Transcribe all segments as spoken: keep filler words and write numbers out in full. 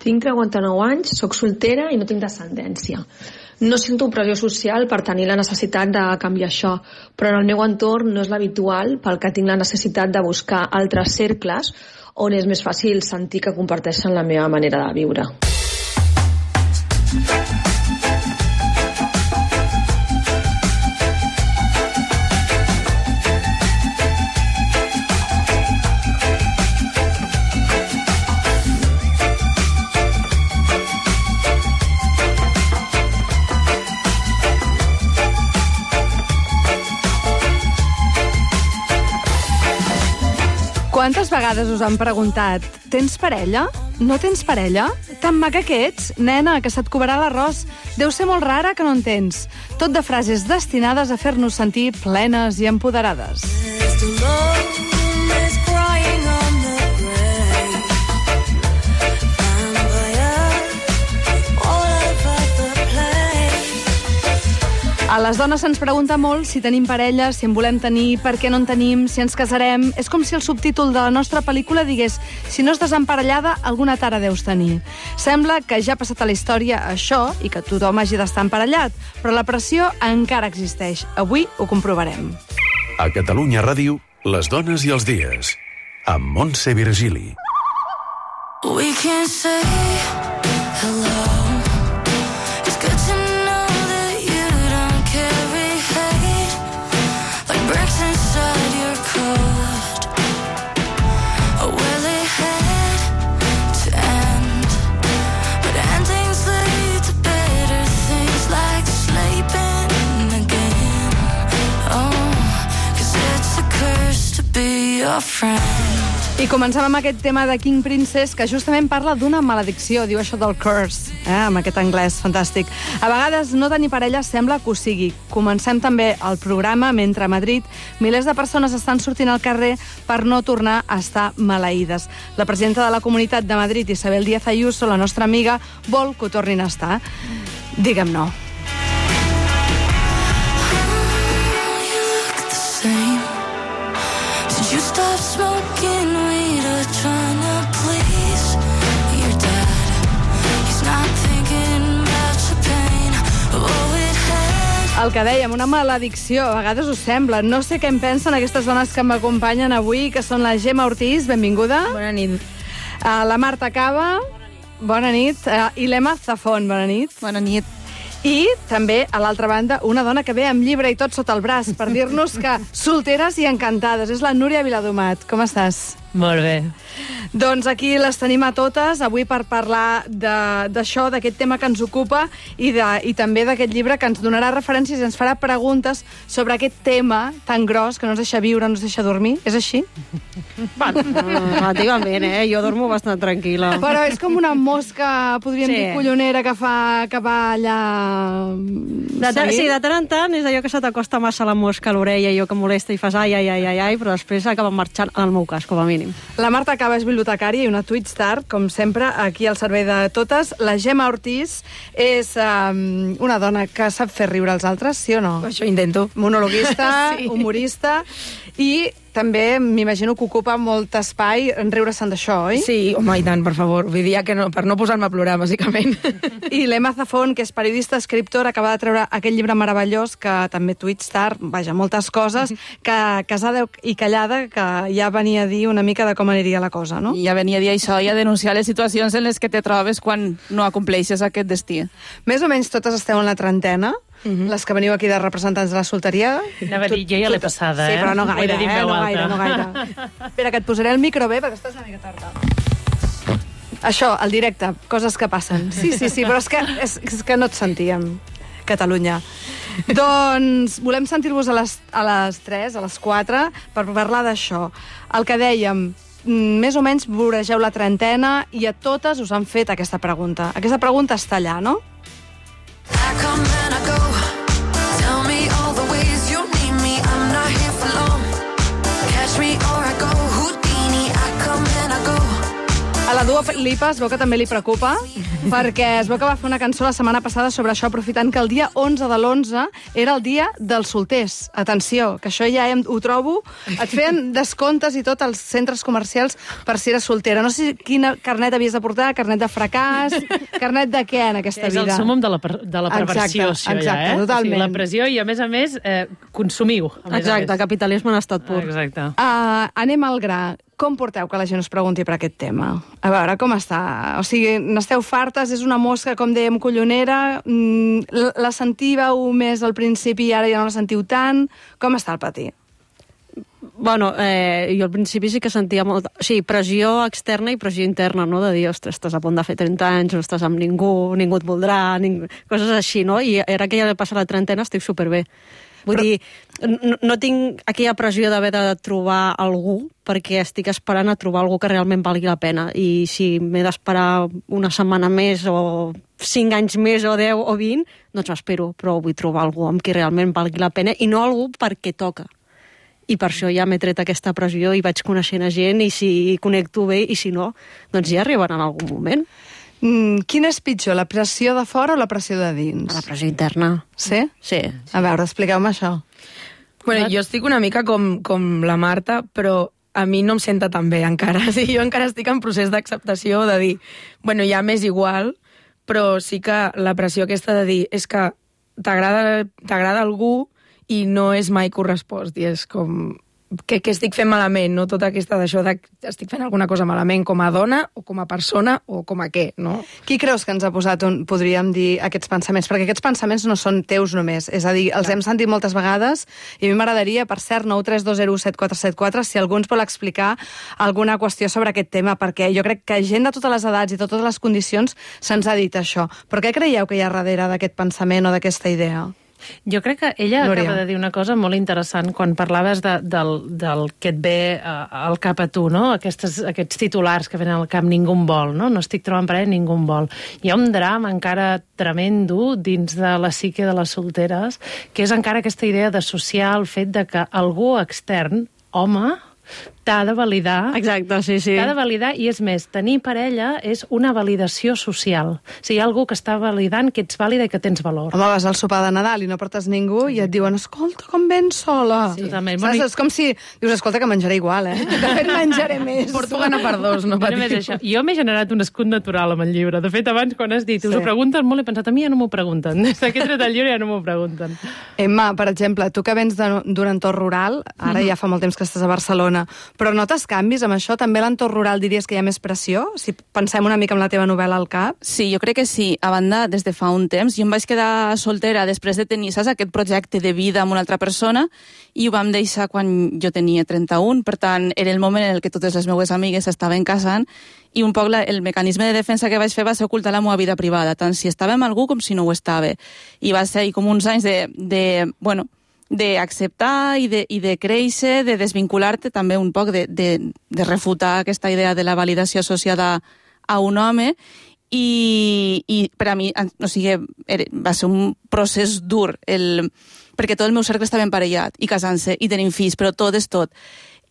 Tinc trenta-nou anys, sóc soltera i no tinc descendència. No sento pressió social per tenir la necessitat de canviar això, però en el meu entorn no és l'habitual, pel que tinc la necessitat de buscar altres cercles on és més fàcil sentir que comparteixen la meva manera de viure. Quantes vegades us han preguntat «Tens parella? No tens parella? Tan maca que ets? Nena, que se't cobrarà l'arròs. Deu ser molt rara que no en tens». Tot de frases destinades a fer-nos sentir plenes i empoderades. A les dones se'ns pregunta molt si tenim parella, si en volem tenir, per què no en tenim, si ens casarem. És com si el subtítol de la nostra pel·lícula digués «Si no estàs emparellada, alguna tara deus tenir». Sembla que ja ha passat a la història això i que tothom hagi d'estar emparellat, però la pressió encara existeix. Avui ho comprovarem. A Catalunya Ràdio, les dones i els dies, amb Montse Virgili. We can say hello. It's good to know that you don't carry hate like bricks inside your coat. Oh, well, it had to end, but endings lead to better things like sleeping again. Oh, 'cause it's a curse to be your friend. I comencem amb aquest tema de King Princess, que justament parla d'una maledicció, diu això del curse, eh, amb aquest anglès fantàstic. A vegades no tenir parella sembla que ho sigui. Comencem també el programa mentre a Madrid milers de persones estan sortint al carrer per no tornar a estar maleïdes. La presidenta de la Comunitat de Madrid, Isabel Díaz Ayuso, la nostra amiga, vol que ho tornin a estar. Digue'm no. You stop smoking weed or trying to please your dad. He's not thinking about your pain. Oh, it had... El que dèiem, una maledicció, a vegades us sembla. No sé què en pensen aquestes dones que m'acompanyen avui, que són la Gemma Ortiz, benvinguda. Bona nit. Uh, la Marta Cava, bona nit. Uh, I l'Emma Zafón, bona nit. Bona nit. I també, a l'altra banda, una dona que ve amb llibre i tot sota el braç per dir-nos que solteres i encantades. És la Núria Viladomat. Com estàs? Molt bé. Doncs aquí les tenim a totes, avui per parlar d'això, d'aquest tema que ens ocupa i, de, i també d'aquest llibre que ens donarà referències i ens farà preguntes sobre aquest tema tan gros que no ens deixa viure, no ens deixa dormir. És així? Bueno, relativament, eh? Jo dormo bastant tranquil·la. Però és com una mosca, podríem Sí. dir, collonera, que fa que va allà... De tant, sí, de tant en tant és allò que se t'acosta massa la mosca a l'orella i allò que molesta i fas ai, ai, ai, ai, ai, però després acaba marxant, en el meu cas, com a mínim. La Marta Cava és bibliotecària i una Twitstar, com sempre, aquí al servei de totes. La Gemma Ortiz és um, una dona que sap fer riure als altres, sí o no? Això intento. Monologuista, Sí. humorista, i també m'imagino que ocupa molt espai en riure-se'n d'això, oi? Sí, home, i tant, per favor. Vull dir que no, per no posar-me a plorar, bàsicament. I l'Emma Zafón, que és periodista, escriptora, acaba de treure aquest llibre meravellós, que també Twitstar, vaja, moltes coses, que casada i callada, que ja venia a dir una mica de com aniria la cosa, no? I ja venia a dir això i a denunciar les situacions en les que te trobes quan no acompleixes aquest destí. Més o menys totes esteu en la trentena, Mhm. les que veniu aquí de representants de la solteria. Anava a dir, jo ja l'he passada, eh? Sí, però no Ho he gaire, de dir en eh? veu No alta. gaire, no gaire. Espera, que et posaré el micro bé, perquè estàs una mica tarda. Això, el directe, coses que passen. Sí, sí, sí, però és que, és, és que no et sentíem, Catalunya. Doncs volem sentir-vos a, les, a les tres, a les quatre, per parlar d'això. El que dèiem, mm, més o menys voregeu la trentena i a totes us han fet aquesta pregunta. Aquesta pregunta està allà, no? I come and I go. Tell me all the ways you need me. I'm not here for long. Catch me or I go Houdini. I come and I go. A la Dua Lipa es veu que també li preocupa, perquè es veu que va fer una cançó la setmana passada sobre això, aprofitant que el dia onze de l'onze era el dia dels solters. Atenció, que això ja ho trobo. Et feien descomptes i tot als centres comercials per si eres soltera. No sé quina carnet havies de portar, carnet de fracàs, carnet de què en aquesta vida? És el súmmum de la, de la perversió, exacte, això exacte, ja, eh? Totalment. O sigui, la pressió i, a més a més, eh, consumiu. A més Exacte, a més. capitalisme en estat pur. Exacte. Uh, anem al gra. Com porteu que la gent us pregunti per aquest tema? A veure, com està? O sigui, n'esteu fartes? És una mosca, com dèiem, collonera? Mm, la sentíeu més al principi i ara ja no la sentiu tant? Com està el pati? Bueno, eh, jo al principi sí que sentia molt... O sigui, pressió externa i pressió interna, no? De dir, ostres, estàs a punt de fer trenta anys, no estàs amb ningú, ningú et voldrà, ningú... coses així, no? I ara que ja he passat la trentena estic superbé. Vull Però... dir, no, no tinc aquella pressió d'haver de trobar algú perquè estic esperant a trobar algú que realment valgui la pena. I si m'he d'esperar una setmana més o cinc anys més o deu o vint, doncs m'espero, però vull trobar algú amb qui realment valgui la pena i no algú perquè toca. I per això ja m'he tret aquesta pressió i vaig coneixent a gent i si connecto bé i si no, doncs ja arribarà en algun moment. Mm, quina és pitjor, la pressió de fora o la pressió de dins? La pressió interna. Sí? Sí. A veure, expliqueu-me això. Bueno, jo estic una mica com, com la Marta, però a mi no em senta tan bé encara. O sigui, jo encara estic en procés d'acceptació de dir, bueno, ja m'és igual, però sí que la pressió aquesta de dir és que t'agrada t'agrada algú i no és mai correspost, i és com... Què, què estic fent malament, no? Tota aquesta d'això de estic fent alguna cosa malament com a dona o com a persona o com a què, no? Qui creus que ens ha posat, on podríem dir, aquests pensaments? Perquè aquests pensaments no són teus només, és a dir, els Clar. hem sentit moltes vegades i a mi m'agradaria, per cert, nou tres dos zero set quatre set quatre, si algú ens vol explicar alguna qüestió sobre aquest tema, perquè jo crec que gent de totes les edats i de totes les condicions se'ns ha dit això. Però què creieu que hi ha darrere d'aquest pensament o d'aquesta idea? Jo crec que ella Glòria. acaba de dir una cosa molt interessant quan parlaves de, del, del que et ve uh, al cap a tu, no? Aquestes, aquests titulars que venen al cap, ningú em vol, no? No estic trobant parella, ningú em vol. Hi ha un drama encara tremendo dins de la psique de les solteres, que és encara aquesta idea d'associar el fet de que algú extern, home, t'ha de validar. Exacte, sí, sí. T'ha de validar, i és més, tenir parella és una validació social. O sigui, hi ha algú que està validant que ets vàlida i que tens valor. Home, vas al sopar de Nadal i no portes ningú i et diuen, escolta, com vens sola. Sí. Totalment. Saps? És com si dius, escolta, que menjaré igual, eh? De fet, menjaré més. Porto gana per dos, no No només patiu. això. Jo m'he generat un escut natural amb el llibre. De fet, abans, quan has dit, us Sí. ho pregunten molt, he pensat, a mi ja no m'ho pregunten. Des que he tret el llibre ja no m'ho pregunten. Emma, per exemple, tu que vens de- d'un entorn rural, ara ja fa molt temps que estàs a Barcelona, però notes canvis amb això? També a l'entorn rural diries que hi ha més pressió? Si pensem una mica en la teva novel·la al cap. Sí, jo crec que sí. A banda, des de fa un temps, jo em vaig quedar soltera després de tenir, saps, aquest projecte de vida amb una altra persona, i ho vam deixar quan jo tenia trenta-un, per tant, era el moment en el que totes les meves amigues estaven casant, i un poc la, el mecanisme de defensa que vaig fer va ser ocultar la meva vida privada, tant si estava amb algú com si no ho estava. I va ser com uns anys de, de bueno, d'acceptar i, de, i de créixer, de desvincular-te també un poc, de, de, de refutar aquesta idea de la validació associada a un home, i, i per a mi, o sigui, era, va ser un procés dur, el, perquè tot el meu cercle estava emparellat i casant-se i tenint fills, però tot és tot.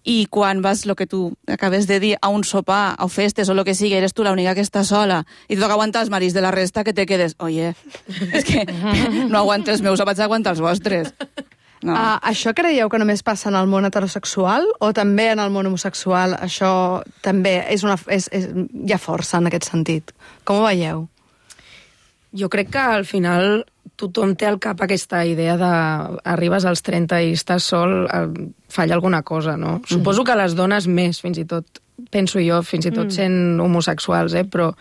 I quan vas, el que tu acabes de dir, a un sopar, a festes o el que sigui, eres tu l'única que està sola i tu aguantar els marits de la resta, que te quedes, oye, és que no aguanto els meus, vaig aguantar els vostres. No. Uh, això creieu que només passa en el món heterosexual o també en el món homosexual? Això també és una, és, és, hi ha força en aquest sentit. Com ho veieu? Jo crec que al final tothom té al cap aquesta idea de arribes als trenta i estàs sol, falla alguna cosa, no? Mm. Suposo que les dones més, fins i tot, penso jo, fins i tot mm. sent homosexuals, eh? Però,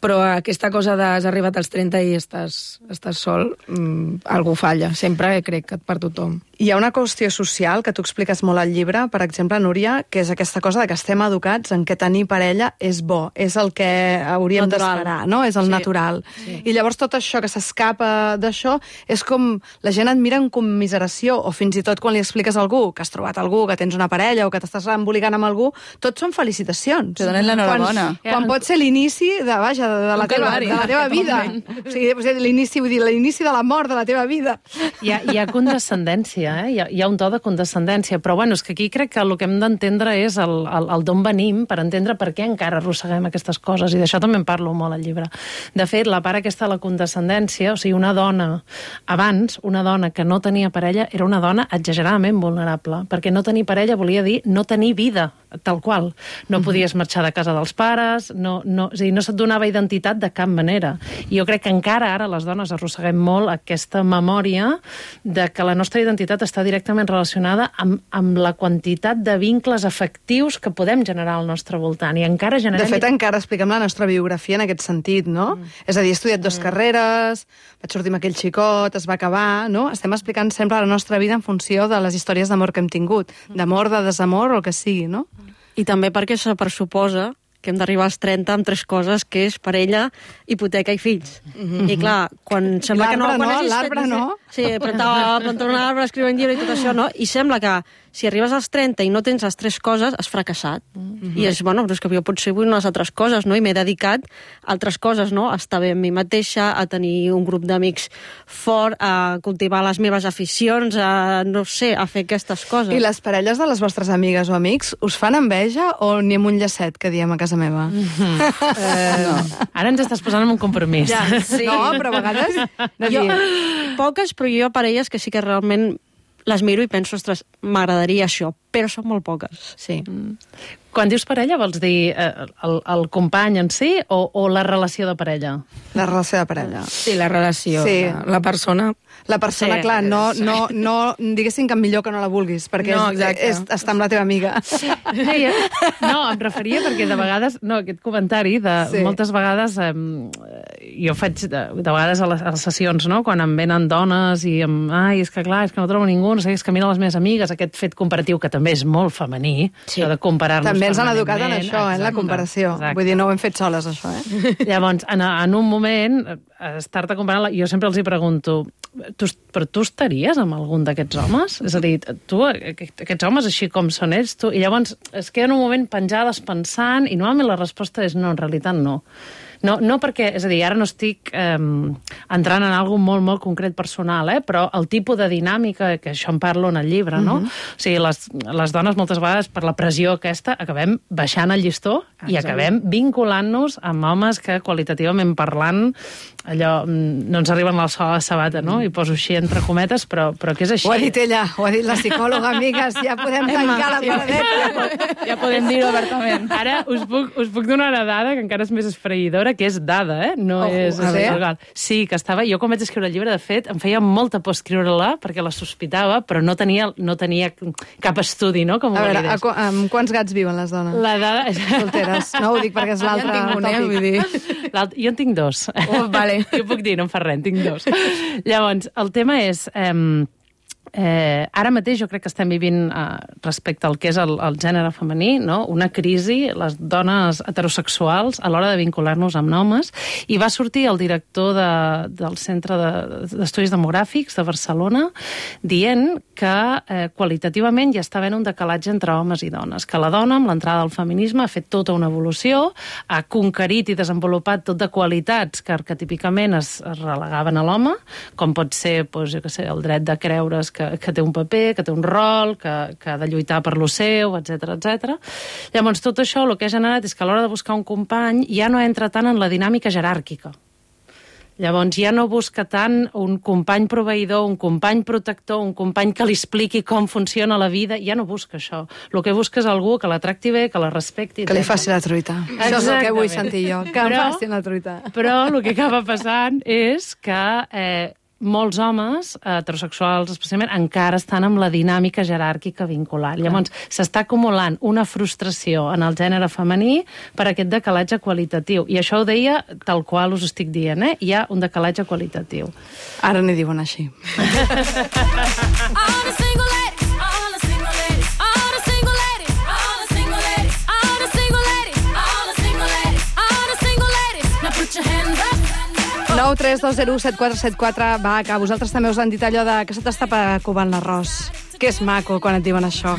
però aquesta cosa de has arribat als trenta i estàs, estàs sol, mm, algú falla. Sempre crec que per tothom. Hi ha una qüestió social que tu expliques molt al llibre, per exemple, Núria, que és aquesta cosa de que estem educats en què tenir parella és bo, és el que hauríem d'esperar, no? És el Sí. natural. Sí. I llavors tot això que s'escapa d'això és com la gent et mira en commiseració, o fins i tot quan li expliques a algú que has trobat algú, que tens una parella o que t'estàs emboligant amb algú, tot són felicitacions. Te donen l'enhorabona. Quan, quan pot ser l'inici de, vaja, de, de, la, Un teva, calvari. de la teva vida. O sigui, l'inici, vull dir, l'inici de la mort de la teva vida. Hi ha, hi ha condescendència condescendència, eh? Hi ha, hi ha un to de condescendència, però bueno, és que aquí crec que el que hem d'entendre és el, el, el d'on venim per entendre per què encara arrosseguem aquestes coses, i d'això també en parlo molt al llibre. De fet, la part aquesta de la condescendència, o sigui, una dona, abans, una dona que no tenia parella era una dona exageradament vulnerable, perquè no tenir parella volia dir no tenir vida, tal qual. No podies marxar de casa dels pares, no, no, és a dir, no se't donava identitat de cap manera. I jo crec que encara ara les dones arrosseguem molt aquesta memòria de que la nostra identitat està directament relacionada amb, amb la quantitat de vincles afectius que podem generar al nostre voltant. I encara generem... De fet, encara expliquem la nostra biografia en aquest sentit, no? Mm. És a dir, he estudiat dues mm. carreres, vaig sortir amb aquell xicot, es va acabar, no? Estem explicant sempre la nostra vida en funció de les històries d'amor que hem tingut. D'amor, de desamor, o el que sigui, no? I també perquè se pressuposa que hem d'arribar als trenta amb tres coses, que és parella, hipoteca i fills. Mm-hmm. I clar, quan sembla que no... L'arbre quan no, hagis l'arbre fet... no. Sí, plantar, plantar un arbre, escriure un llibre i tot això, no? I sembla que si arribes als trenta i no tens les tres coses, has fracassat. Mm-hmm. I és, bueno, però és que jo potser vull unes altres coses, no? I m'he dedicat a altres coses, no? A estar bé amb mi mateixa, a tenir un grup d'amics fort, a cultivar les meves aficions, a, no sé, a fer aquestes coses. I les parelles de les vostres amigues o amics us fan enveja o ni amb un llacet, que diem a casa meva? Mm-hmm. eh, no. Ara ens estàs posant en un compromís. Ja, sí. No, però a vegades... No jo, poques, però jo parelles que sí que realment les miro i penso, ostres, m'agradaria això, però són molt poques. Sí. Mm. Quan dius parella, vols dir eh, el, el company en si o, o la relació de parella? La relació de parella. Sí, la relació. Sí. La, la persona... La persona, Sí. clar, no, no, no diguéssim que millor que no la vulguis, perquè No, és, exacte. és estar amb la teva amiga. Sí, eh? No, em referia perquè de vegades, no, aquest comentari, de Sí. moltes vegades, eh, jo faig de, de vegades a les, a les sessions, no?, quan em venen dones i em, ai, és que clar, és que no trobo ningú, no sé, és que mira les meves amigues, aquest fet comparatiu que també és molt femení, Sí. això de comparar-nos També ens han educat en permanentment. això, eh, en la Exacte, comparació. exacte. Vull dir, no ho hem fet soles, això, eh? Llavors, en, en un moment, eh, estar-te comparant, jo sempre els hi pregunto, tu, però tu estaries amb algun d'aquests homes? És a dir, tu, aquest- aquests homes així com són ells, tu... I llavors es queden un moment penjades pensant i normalment la resposta és no, en realitat no. No, no perquè, és a dir, ara no estic eh, entrant en algo molt, molt concret personal, eh, però el tipus de dinàmica, que això en parlo en el llibre, no? Uh -huh. O sigui, les, les dones moltes vegades, per la pressió aquesta, acabem baixant el llistó i acabem vinculant-nos amb homes que, qualitativament parlant, allò, no ens arriben al sol a la sabata, no? I poso així entre cometes, però, però que és així. Ho ha dit ella, ho ha dit la psicòloga, amigues, ja podem tancar la paradeta. Ja podem dir-ho obertament. Ara us puc, us puc donar una dada que encara és més esfereïdora, que és dada, eh? No Ojo, és... a veure. legal. Sí, que estava... Jo quan vaig escriure el llibre, de fet, em feia molta por escriure-la perquè la sospitava, però no tenia, no tenia cap estudi, no?, com ho A veure, a, validés. qu- amb quants gats viuen les dones? La dada... Solteres. No ho dic perquè és l'altre Ja en tinc un, eh, tòpic. vull dir. L'alt- Jo en tinc dos. Oh, vale. Jo puc dir, no em fa res, en tinc dos. Llavors, el tema és... Eh, Eh, ara mateix jo crec que estem vivint eh, respecte al que és el, el gènere femení, no? Una crisi, les dones heterosexuals a l'hora de vincular-nos amb homes, i va sortir el director de, del Centre de- d'Estudis Demogràfics de Barcelona dient que eh, qualitativament ja està havent un decalatge entre homes i dones, que la dona amb l'entrada del feminisme ha fet tota una evolució, ha conquerit i desenvolupat tot de qualitats que arquetípicament es, es relegaven a l'home, com pot ser, doncs, jo què sé, el dret de creure's que, que té un paper, que té un rol, que, que ha de lluitar per lo seu, etcètera, etcètera. Llavors, tot això el que ha generat és que a l'hora de buscar un company ja no entra tant en la dinàmica jeràrquica. Llavors ja no busca tant un company proveïdor, un company protector, un company que li expliqui com funciona la vida, ja no busca això. El que busca és algú que la tracti bé, que la respecti. Que li etcètera. faci la truita. Això és el que vull sentir jo, que em Però- facin la truita. Però el que acaba passant és que eh, molts homes eh, heterosexuals, especialment, encara estan amb la dinàmica jeràrquica vincular. Llavors, s'està acumulant una frustració en el gènere femení per aquest decalatge qualitatiu. I això ho deia tal qual us estic dient, eh? Hi ha un decalatge qualitatiu. Ara n'hi diuen així. All the single ladies, all the single ladies, all the single ladies, all the single ladies, all the single ladies, all the single ladies, all the single ladies. Now put your hands up. nou tres dos zero set quatre set quatre. Va, que a vosaltres també us han dit allò de que se t'està covant l'arròs. Que és maco quan et diuen això.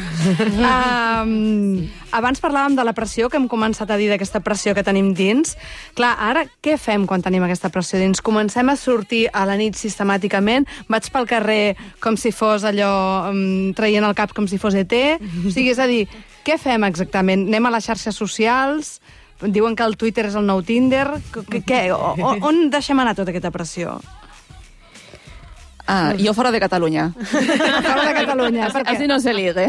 um, abans parlàvem de la pressió, que hem començat a dir d'aquesta pressió que tenim dins. Clar, ara què fem quan tenim aquesta pressió dins? Comencem a sortir a la nit sistemàticament, vaig pel carrer com si fos allò, um, traient el cap com si fos E T. O sigui, és a dir, què fem exactament? Anem a les xarxes socials? Diuen que el Twitter és el nou Tinder. Què? O, on deixem anar tota aquesta pressió? Ah, jo fora de Catalunya. Fora de Catalunya. Així no se ligue.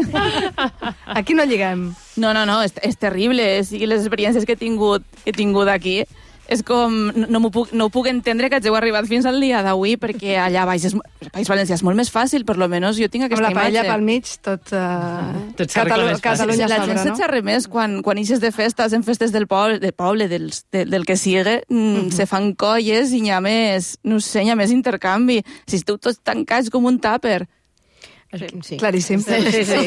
Aquí no lliguem. No, no, no, és, és terrible. O sigui, les experiències que he tingut, que he tingut aquí, és com... No, no, puc, no ho puc entendre que hàgiu arribat fins al dia d'avui, perquè allà baix, és, País Valencià és molt més fàcil, per lo menos jo tinc aquesta imatge. Amb la paella imatge. pel mig, tot... Uh, tot Catalu Catalunya la sobre, gent no? se xerra més quan, quan ixes de festes, en festes del poble, del, poble, dels, de, del que sigui, mm, uh -huh. se fan colles i hi ha més, no sé, hi ha més intercanvi. Si esteu tots tancats com un tàper. Sí. Claríssim. Sí, sí, sí.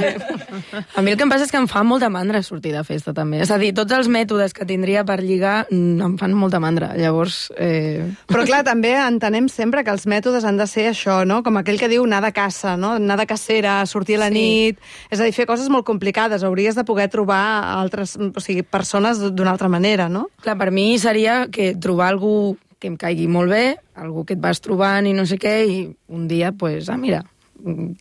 A mi el que em passa és que em fa molta mandra sortir de festa, també. És a dir, tots els mètodes que tindria per lligar em fan molta mandra. Llavors... Eh... Però clar, també entenem sempre que els mètodes han de ser això, no? Com aquell que diu anar de caça, no? Anar de cacera, sortir a la sí. nit... És a dir, fer coses molt complicades. Hauries de poder trobar altres, o sigui, persones d'una altra manera, no? Clar, per mi seria que trobar algú que em caigui molt bé, algú que et vas trobant i no sé què, i un dia, pues, ah, mira...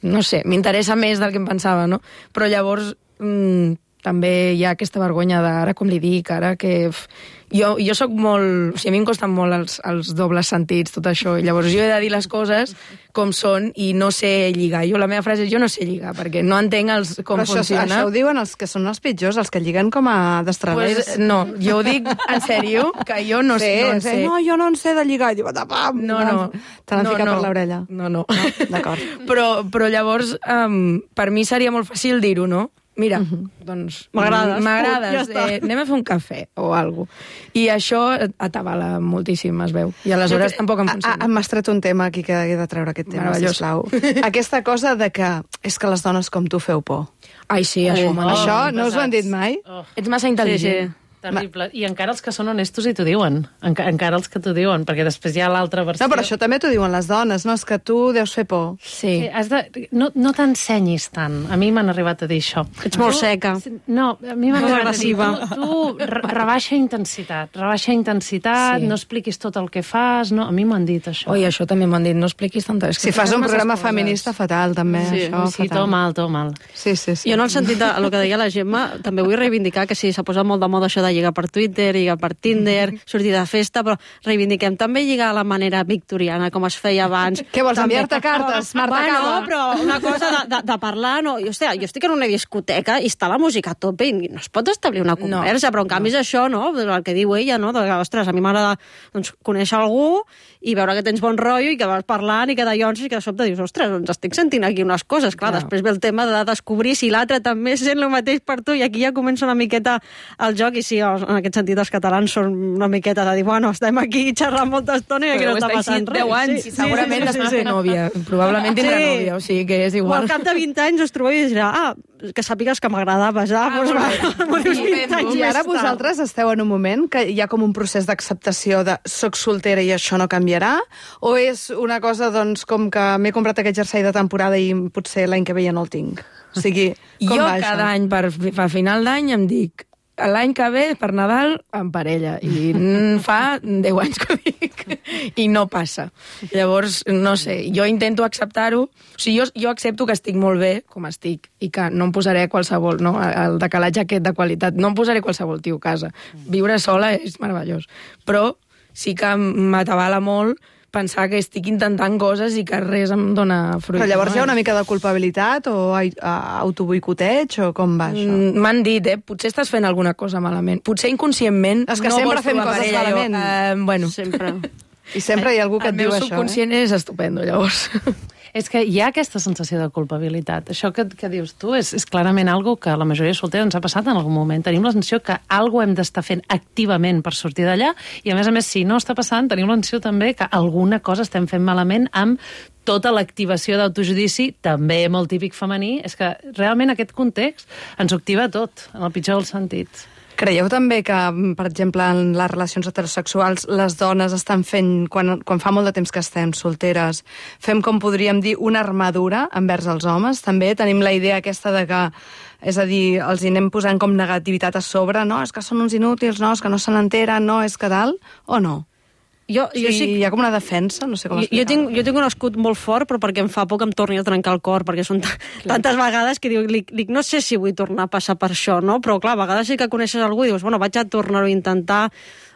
no sé, m'interessa més del que em pensava, no? Però llavors mmm, també hi ha aquesta vergonya d'ara, com li dic, ara que... Uf, jo, jo sóc molt... O sigui, a mi em costen molt els, els dobles sentits, tot això, i llavors jo he de dir les coses com són i no sé lligar. Jo, la meva frase és jo no sé lligar, perquè no entenc els, com Però això, funciona. això ho diuen els que són els pitjors, els que lliguen com a destralers. Pues, no, jo ho dic en sèrio, que jo no, sí, no en sí. sé. No, jo no en sé de lligar. I diu, tapam! No, no. Te l'han no, ficat no. per l'orella. No, no. no D'acord. Però, però llavors, um, per mi seria molt fàcil dir-ho, no? Mira, uh -huh. doncs... M'agrades. M'agrades. Ja eh, anem a fer un cafè o alguna cosa. I això atabala moltíssim, es veu. I aleshores que, tampoc em funciona. A, a, M'has tret un tema aquí que he de treure aquest tema, Meravellós. sisplau. Aquesta cosa de que és que les dones com tu feu por. Ai, sí, això. Oh, Oh, això no us ho han dit mai? Oh. Ets massa intel·ligent. Sí, sí. Terrible. I encara els que són honestos i t'ho diuen. Enca encara els que t'ho diuen, perquè després hi ha l'altra versió. No, però això també t'ho diuen les dones, no? És que tu deus fer por. Sí. Sí, has de... No, no t'ensenyis tant. A mi m'han arribat a dir això. Ets molt seca. No, a mi m'han Molt arribat a dir, agressiva. tu, tu re- rebaixa intensitat, rebaixa intensitat, Sí. no expliquis tot el que fas, no? A mi m'han dit això. Oi, això també m'han dit, no expliquis tant. És que Si fas un masses programa coses. feminista, fatal, també, Sí, això, sí, fatal. tot mal, tot mal. Sí, sí, sí. Jo, en el sentit de el que deia la Gemma, també vull reivindicar que sí, s'ha posat molt de moda això de lligar per Twitter, lligar per Tinder, sortir de festa, però reivindiquem també lligar a la manera victoriana, com es feia abans. Què vols, També- enviar-te cartes, Marta bueno, Cava? però una cosa de, de, de parlar, no? Jo, hòstia, jo estic en una discoteca i està la música a tope i no es pot establir una conversa, no, però en canvi és això, no? El que diu ella, no? De, ostres, a mi m'agrada doncs, conèixer algú i veure que tens bon rotllo i que vas parlant i que d'allò i que de sobte dius, ostres, doncs estic sentint aquí unes coses. Clar, Clar. després ve el tema de descobrir si l'altre també sent el mateix per tu i aquí ja comença una miqueta el joc i sí, en aquest sentit els catalans són una miqueta de dir, bueno, estem aquí xerrant molta estona i aquí Però no està està passant així res. deu anys, Sí, segurament després té nòvia. Probablement tindrà Sí. nòvia, o sigui que és O igual. al cap de vint anys us trobeu i dirà, ah, que sàpigues que m'agradaves, ah, doncs va, m'ho dius vint anys I ara més tard. vosaltres esteu en un moment que hi ha com un procés d'acceptació de soc soltera i això no canviarà? O és una cosa, doncs, com que m'he comprat aquest jersei de temporada i potser l'any que ve ja no el tinc? O sigui, com Jo va cada això? any, per, per final d'any, em dic l'any que ve, per Nadal, en parella. I mm, fa deu anys que ho dic. I no passa. Llavors, no sé, jo intento acceptar-ho. O sigui, jo, jo accepto que estic molt bé com estic i que no em posaré qualsevol, no? El decalatge aquest de qualitat. No em posaré qualsevol tio a casa. Viure sola és meravellós. Però sí que m'atabala molt pensar que estic intentant coses i que res em dona fruit. Però llavors no? hi ha una mica de culpabilitat o ai- a- autoboicoteig o com va això? Mm, M'han dit, eh? Potser estàs fent alguna cosa malament. Potser inconscientment És que no sempre vols fem trobar coses parella. Jo, malament. eh, bueno, Sempre. I sempre hi ha algú que el et diu meu això, eh? subconscient és estupendo, llavors. És que hi ha aquesta sensació de culpabilitat. Això que, que dius tu és, és clarament algo que a la majoria de solters ens ha passat en algun moment. Tenim la sensació que algo hem d'estar fent activament per sortir d'allà i, a més a més, si no està passant, tenim la sensació també que alguna cosa estem fent malament amb tota l'activació d'autojudici, també molt típic femení. És que realment aquest context ens ho activa tot, en el pitjor dels sentits. Creieu també que, per exemple, en les relacions heterosexuals les dones estan fent, quan, quan fa molt de temps que estem solteres, fem, com podríem dir, una armadura envers els homes? També tenim la idea aquesta de que, és a dir, els hi anem posant com negativitat a sobre, no? És que són uns inútils, no? És que no se n'enteren, no? És que tal, o no? Jo, jo sí, sí, hi ha com una defensa, no sé com jo, explicar-ho. jo, tinc, jo tinc un escut molt fort, però perquè em fa por que em torni a trencar el cor, perquè són tantes vegades que dic, dic, dic, no sé si vull tornar a passar per això, no? Però clar, a vegades sí que coneixes algú i dius, bueno, vaig a tornar-ho a intentar,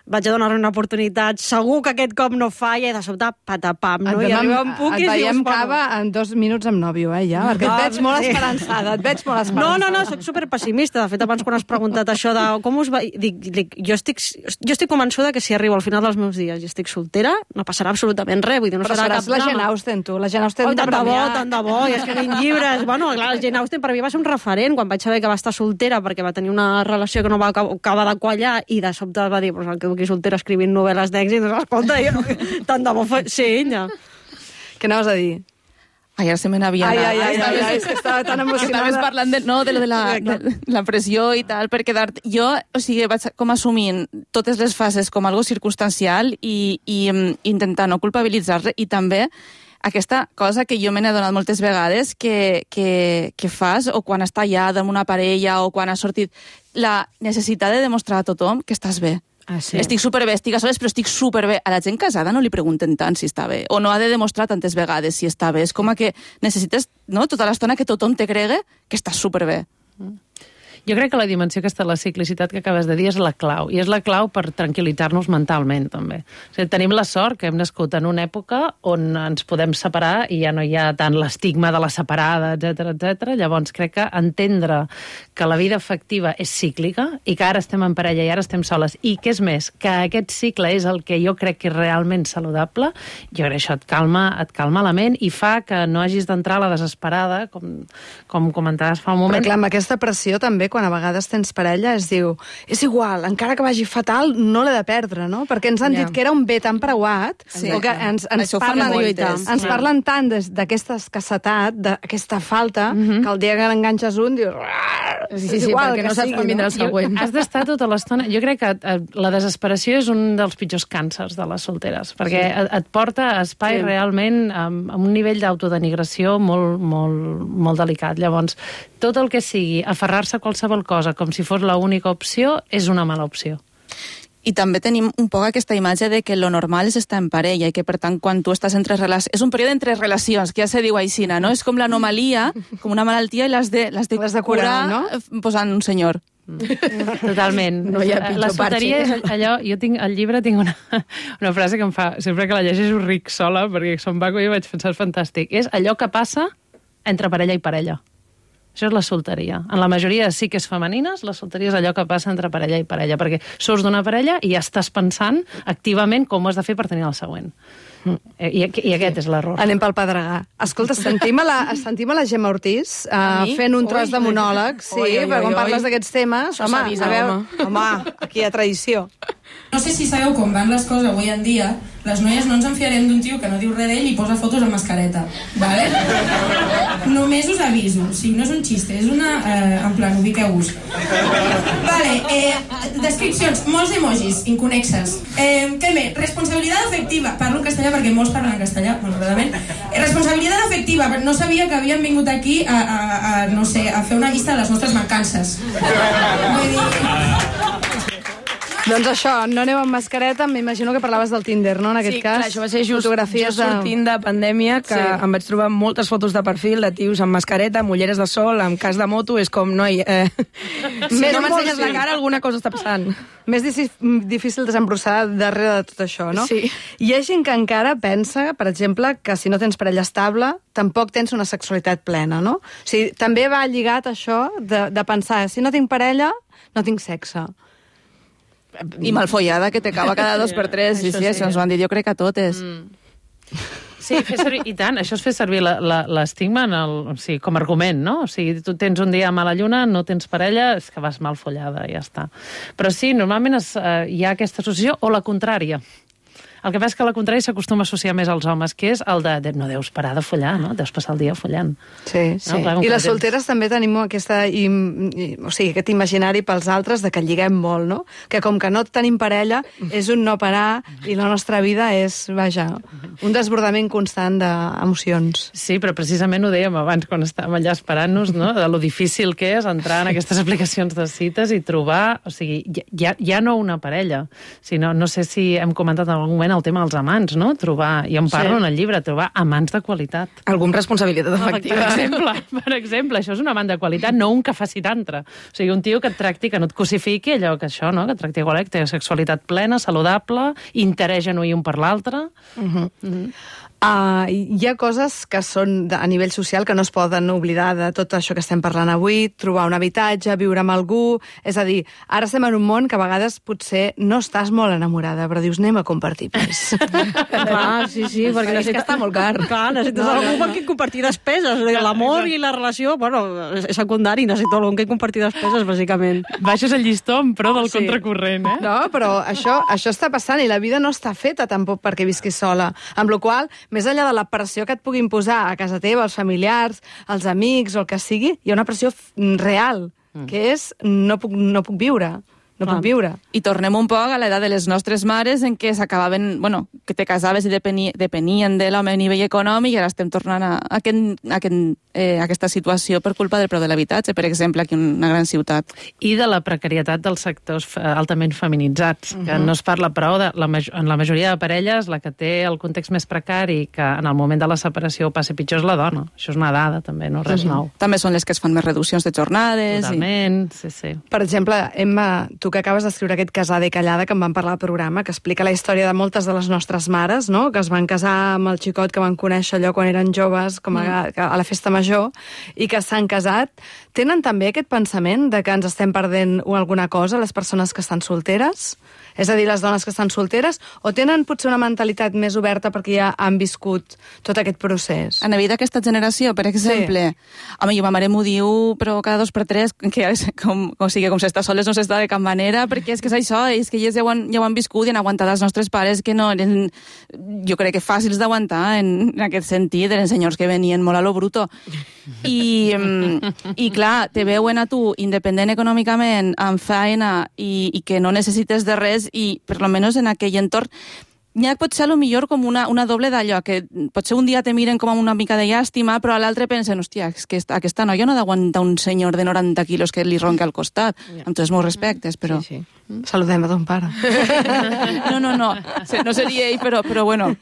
vaig a donar-li una oportunitat, segur que aquest cop no falla, i de sobte, patapam, no? I arriba un puc et i veiem dius, bueno... cava en dos minuts amb nòvio, eh, ja? Perquè et veig molt sí. esperançada, et veig molt esperançada. No, no, no, soc superpessimista. De fet, abans quan has preguntat això de com us va... Dic, dic, jo, estic, jo estic convençuda que si arribo al final dels meus dies i estic soltera, no passarà absolutament res. Vull dir, no Però serà seràs cap la drama. Jane Austen, tu. La Jane Austen Oh, de tant de bo, premiar. tant de bo, i escrivint llibres. Bueno, clar, la Jane Austen per mi va ser un referent quan vaig saber que va estar soltera perquè va tenir una relació que no va acabar de quallar i de sobte va dir, pues, el que aquí soltera escrivint novel·les d'èxit, doncs, escolta, jo, tant de bo fa... Sí, ella. Què anaves a dir? Ai, ara se me n'havia Ai, anat. ai, ai, ai, ai, és que estava tan emocionada. Estaves parlant de, no, de, lo de, la, de la pressió i tal, per quedar-te... Jo, o sigui, vaig com assumint totes les fases com algo circumstancial i, i um, intentar no culpabilitzar-le, i també aquesta cosa que jo me n'he donat moltes vegades que, que, que fas, o quan està allà amb una parella, o quan has sortit, la necessitat de demostrar a tothom que estàs bé. Ah, sí. Estic superbé, estic a soles, però estic superbé. A la gent casada no li pregunten tant si està bé, o no ha de demostrar tantes vegades si està bé. És com que necessites, no?, tota l'estona que tothom te cregue que estàs superbé. Mm. Jo crec que la dimensió aquesta de la ciclicitat que acabes de dir és la clau, i és la clau per tranquil·litzar-nos mentalment, també. O sigui, tenim la sort que hem nascut en una època on ens podem separar i ja no hi ha tant l'estigma de la separada, etcètera, etcètera. Llavors, crec que entendre que la vida afectiva és cíclica i que ara estem en parella i ara estem soles, i que és més, que aquest cicle és el que jo crec que és realment saludable, jo crec que això et calma, et calma la ment i fa que no hagis d'entrar a la desesperada, com, com comentaves fa un moment. Però clar, amb aquesta pressió també, quan a vegades tens parella, es diu, és igual, encara que vagi fatal, no l'he de perdre, no? Perquè ens han Ja. dit que era un bé tan preuat, Sí. o que ens, ens, Això ho fan parlen, moltes. ens parlen tant des- d'aquesta escassetat, d'aquesta falta, que el dia que l'enganxes un, dius... Sí, sí, sí, perquè no saps quan vindrà el següent. Has d'estar tota l'estona... Jo crec que eh, la desesperació és un dels pitjors càncers de les solteres, perquè sí. et, et porta a espai Sí. sí. realment amb, amb un nivell d'autodenigració molt, molt, molt delicat. Llavors, tot el que sigui aferrar-se a qualsevol cosa com si fos l'única opció és una mala opció. I també tenim un poc aquesta imatge de que lo normal és estar en parella i que, per tant, quan tu estàs entre relacions... És un període entre relacions, que ja se diu aixina, no? És com l'anomalia, com una malaltia, i l'has de, l'has de, L'has de curar, no? eh, posant un senyor. Totalment. No hi ha pitjor la solteria parche. és allò... Jo tinc al llibre tinc una, una frase que em fa... Sempre que la llegeixo ric sola, perquè som vaco i vaig pensar, és fantàstic. És allò que passa entre parella i parella. Això és la solteria. En la majoria de psiques femenines, la solteria és allò que passa entre parella i parella, perquè surts d'una parella i ja estàs pensant activament com ho has de fer per tenir el següent. I, i aquest és l'error. Anem pel Pedregà. Escolta, sentim a la, sentim a la Gemma Ortiz uh, mi? fent un tros Ui. de monòleg, sí, Oi, oi, perquè quan oi, parles oi. d'aquests temes, Això home, s'avisa, a veure, home. home, aquí hi ha tradició. No sé si sabeu com van les coses avui en dia, les noies no ens enfiarem d'un tio que no diu res d'ell i posa fotos amb mascareta, vale? Només us aviso, o sigui, no és un xiste, és una... Eh, en plan, ubiqueu-vos. Vale, eh, descripcions, molts emojis inconexes. Eh, què més? Responsabilitat afectiva. Parlo en castellà perquè molts parlen en castellà, malauradament. Eh, responsabilitat afectiva, no sabia que havien vingut aquí a, a, a, no sé, a fer una llista de les nostres mancances. Vull dir... Doncs això, no aneu amb mascareta, m'imagino que parlaves del Tinder, no, en aquest Sí, cas? clar, això va ser just, Fotografies just sortint de pandèmia, que Sí. sí. em vaig trobar moltes fotos de perfil de tios amb mascareta, amb ulleres de sol, amb cas de moto, és com, noi, eh, si Més no molt, m'ensenyes sí. la cara, alguna cosa està passant. Més difícil, difícil desembrossar darrere de tot això, no? Sí. Hi ha gent que encara pensa, per exemple, que si no tens parella estable, tampoc tens una sexualitat plena, no? O sigui, també va lligat això de, de pensar, si no tinc parella, no tinc sexe. I malfollada, que te cava cada dos per tres. Sí, Això sí, sí. això ens ho han dit, jo crec que a totes. Sí, fer servir, i tant, això és fer servir la- la- l'estigma en el, o sigui, com a argument, no? O sigui, tu tens un dia a mala lluna, no tens parella, és que vas mal follada, ja està. Però sí, normalment es, eh, hi ha aquesta associació, o la contrària. El que passa és que, al contrari, s'acostuma a associar més als homes, que és el de, de no deus parar de follar, no? Deus passar el dia follant. Sí, sí. No? Clar, I les temps... solteres també tenim aquesta, i, i, o sigui, aquest imaginari pels altres de que lliguem molt, no? Que com que no tenim parella, és un no parar i la nostra vida és, vaja, un desbordament constant d'emocions. Sí, però precisament ho dèiem abans, quan estàvem allà esperant-nos, no? De lo difícil que és entrar en aquestes aplicacions de cites i trobar, o sigui, ja, ja no una parella, sinó, no sé si hem comentat en algun moment el tema dels amants, no? Trobar, i en parlo sí. en el llibre, trobar amants de qualitat. Algun responsabilitat efectiva. Per exemple, per exemple, això és un amant de qualitat, no un que faci tantra. O sigui, un tio que et tracti, que no et cosifiqui, allò que això, no? Que et tracti igual, que té sexualitat plena, saludable, interès genuí un per l'altre. Uh-huh. Uh-huh. Uh, hi ha coses que són a nivell social que no es poden oblidar de tot això que estem parlant avui, trobar un habitatge, viure amb algú, és a dir, ara estem en un món que a vegades potser no estàs molt enamorada, però dius, anem a compartir pis. Clar, sí, sí, perquè necessita... És que està molt car. Clar, necessites no, algú no, no. amb qui compartir despeses. L'amor i la relació, bueno, és secundari, necessito algú amb qui compartir despeses, bàsicament. Baixes el llistó en pro del sí. contracorrent, eh? No, però això, això està passant i la vida no està feta tampoc perquè visquis sola. Amb la qual cosa, més enllà de la pressió que et puguin posar a casa teva, els familiars, els amics o el que sigui, hi ha una pressió real, que és no puc, no puc viure. No puc viure. I tornem un poc a l'edat de les nostres mares en què s'acabaven, bueno, que te casaves i depeni, depenien de l'home a nivell econòmic i ara estem tornant a, a, aquest, a, aquest, eh, a aquesta situació per culpa del preu de l'habitatge, per exemple, aquí en una gran ciutat. I de la precarietat dels sectors altament feminitzats, uh-huh. que no es parla prou de la, en la majoria de parelles, la que té el context més precari, que en el moment de la separació ho passi pitjor és la dona. Això és una dada, també, no res uh-huh. nou. També són les que es fan més reduccions de jornades. Totalment, i... sí, sí. Per exemple, Emma, tu que acabes d'escriure aquest Casar de callada, que em van parlar al programa, que explica la història de moltes de les nostres mares, no? Que es van casar amb el xicot que van conèixer allò quan eren joves, com a, mm. a la festa major, i que s'han casat. Tenen també aquest pensament de que ens estem perdent alguna cosa, les persones que estan solteres? És a dir, les dones que estan solteres, o tenen potser una mentalitat més oberta perquè ja han viscut tot aquest procés? En la vida d'aquesta generació, per exemple, sí. home, jo ma mare m'ho diu, però cada dos per tres, que com, o sigui, com s'està soles no s'està de cap manera, perquè és que és això, és que elles ja ho han, ja ho han viscut i han aguantat els nostres pares que no eren, jo crec que fàcils d'aguantar en, en aquest sentit, eren senyors que venien molt a lo bruto. I, i clar, te veuen a tu independent econòmicament, amb feina i, i que no necessites de res i, per lo menos en aquell entorn, n'hi ha potser a lo millor com una, una doble d'allò, que potser un dia te miren com amb una mica de llàstima, però a l'altre pensen, hòstia, és que aquesta noia no ha d'aguantar un senyor de noranta quilos que li ronca al costat. Yeah. Amb tots els meus respectes, però... Sí, sí. Mm. Saludem a ton pare. No, no, no. No seria ell, però, però bueno.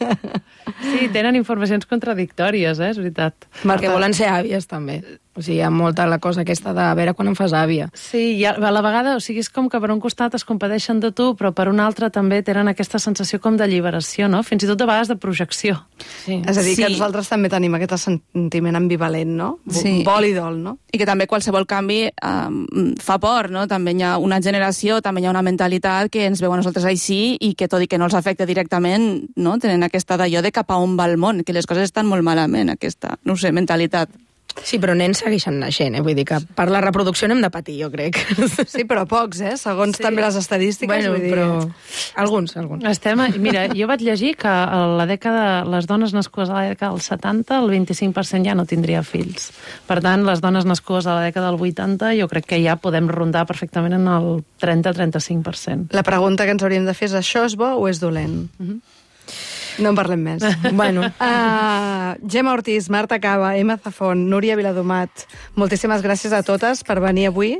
Sí, tenen informacions contradictòries, eh? És veritat. Perquè volen ser àvies, també. O sigui, hi ha molta la cosa aquesta de a veure quan em fas àvia. Sí, i a la vegada, o sigui, és com que per un costat es compadeixen de tu, però per un altre també tenen aquesta sensació com d'alliberació, no? Fins i tot de vegades de projecció. Sí. És a dir, sí. que nosaltres també tenim aquest sentiment ambivalent, no? Sí. Vol i dol, no? I que també qualsevol canvi um, fa por, no? També hi ha una generació, també hi ha una mentalitat que ens veu a nosaltres així i que tot i que no els afecta directament, no? Tenen aquesta d'allò de cap a on va el món, que les coses estan molt malament, aquesta, no sé, mentalitat. Sí, però nens segueixen naixent, eh? Vull dir que per la reproducció n'hem de patir, jo crec. Sí, però pocs, eh? Segons sí. també les estadístiques. Bueno, vull dir... però... Alguns, alguns. Estem... Mira, jo vaig llegir que a la dècada, les dones nascudes a la dècada dels setanta, el vint-i-cinc per cent ja no tindria fills. Per tant, les dones nascudes a la dècada del vuitanta, jo crec que ja podem rondar perfectament en el trenta a trenta-cinc per cent. La pregunta que ens hauríem de fer és, això és bo o és dolent? Mm-hmm. No en parlem més. Bueno. Uh, Gemma Ortiz, Marta Cava, Emma Zafón, Núria Viladomat, moltíssimes gràcies a totes per venir avui.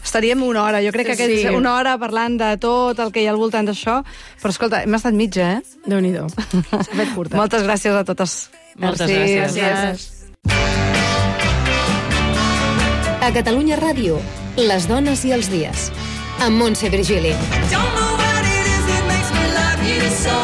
Estaríem una hora, jo crec que sí. Aquests, una hora parlant de tot el que hi ha al voltant d'això, però escolta, hem estat mitja, eh? Déu-n'hi-do. S'ha fet curta. Moltes gràcies a totes. Moltes Merci. gràcies. gràcies. A Catalunya Ràdio, les dones i els dies, amb Montse Virgili. Don't know what it is that makes me love you so.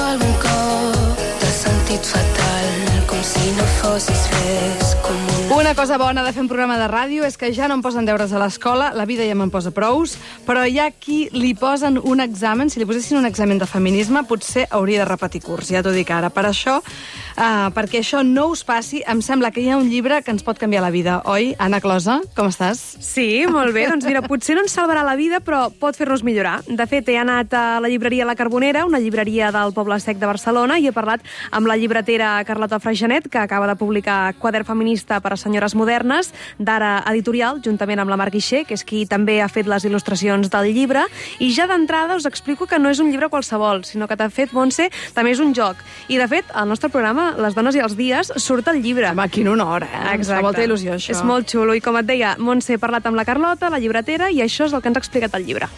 Algun cop t'has sentit fatal, com si no fossis res, com un Una cosa bona de fer un programa de ràdio és que ja no em posen deures a l'escola, la vida ja me'n posa prous, però hi ha qui li posen un examen, si li posessin un examen de feminisme, potser hauria de repetir curs, ja t'ho dic ara. Per això, uh, perquè això no us passi, em sembla que hi ha un llibre que ens pot canviar la vida, oi? Anna Closa, com estàs? Sí, molt bé. Doncs mira, potser no ens salvarà la vida, però pot fer-nos millorar. De fet, he anat a la llibreria La Carbonera, una llibreria del Poble Sec de Barcelona, i he parlat amb la llibretera Carlota Freixanet, que acaba de publicar Quadern feminista per a senyores modernes, d'Ara Editorial, juntament amb la Mar Guixer, que és qui també ha fet les il·lustracions del llibre, i ja d'entrada us explico que no és un llibre qualsevol, sinó que, de fet, Montse, també és un joc. I, de fet, al nostre programa, Les dones i els dies, surt el llibre. Home, quin honor, eh? Exacte. Fa molta il·lusió, això. És molt xulo, i com et deia, Montse, he parlat amb la Carlota, la llibretera, i això és el que ens ha explicat el llibre.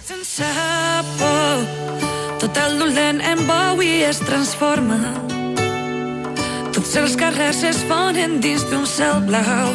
Sense por, tot el dolent en bou i es transforma. Tots els carrers es fonen dins d'un cel blau.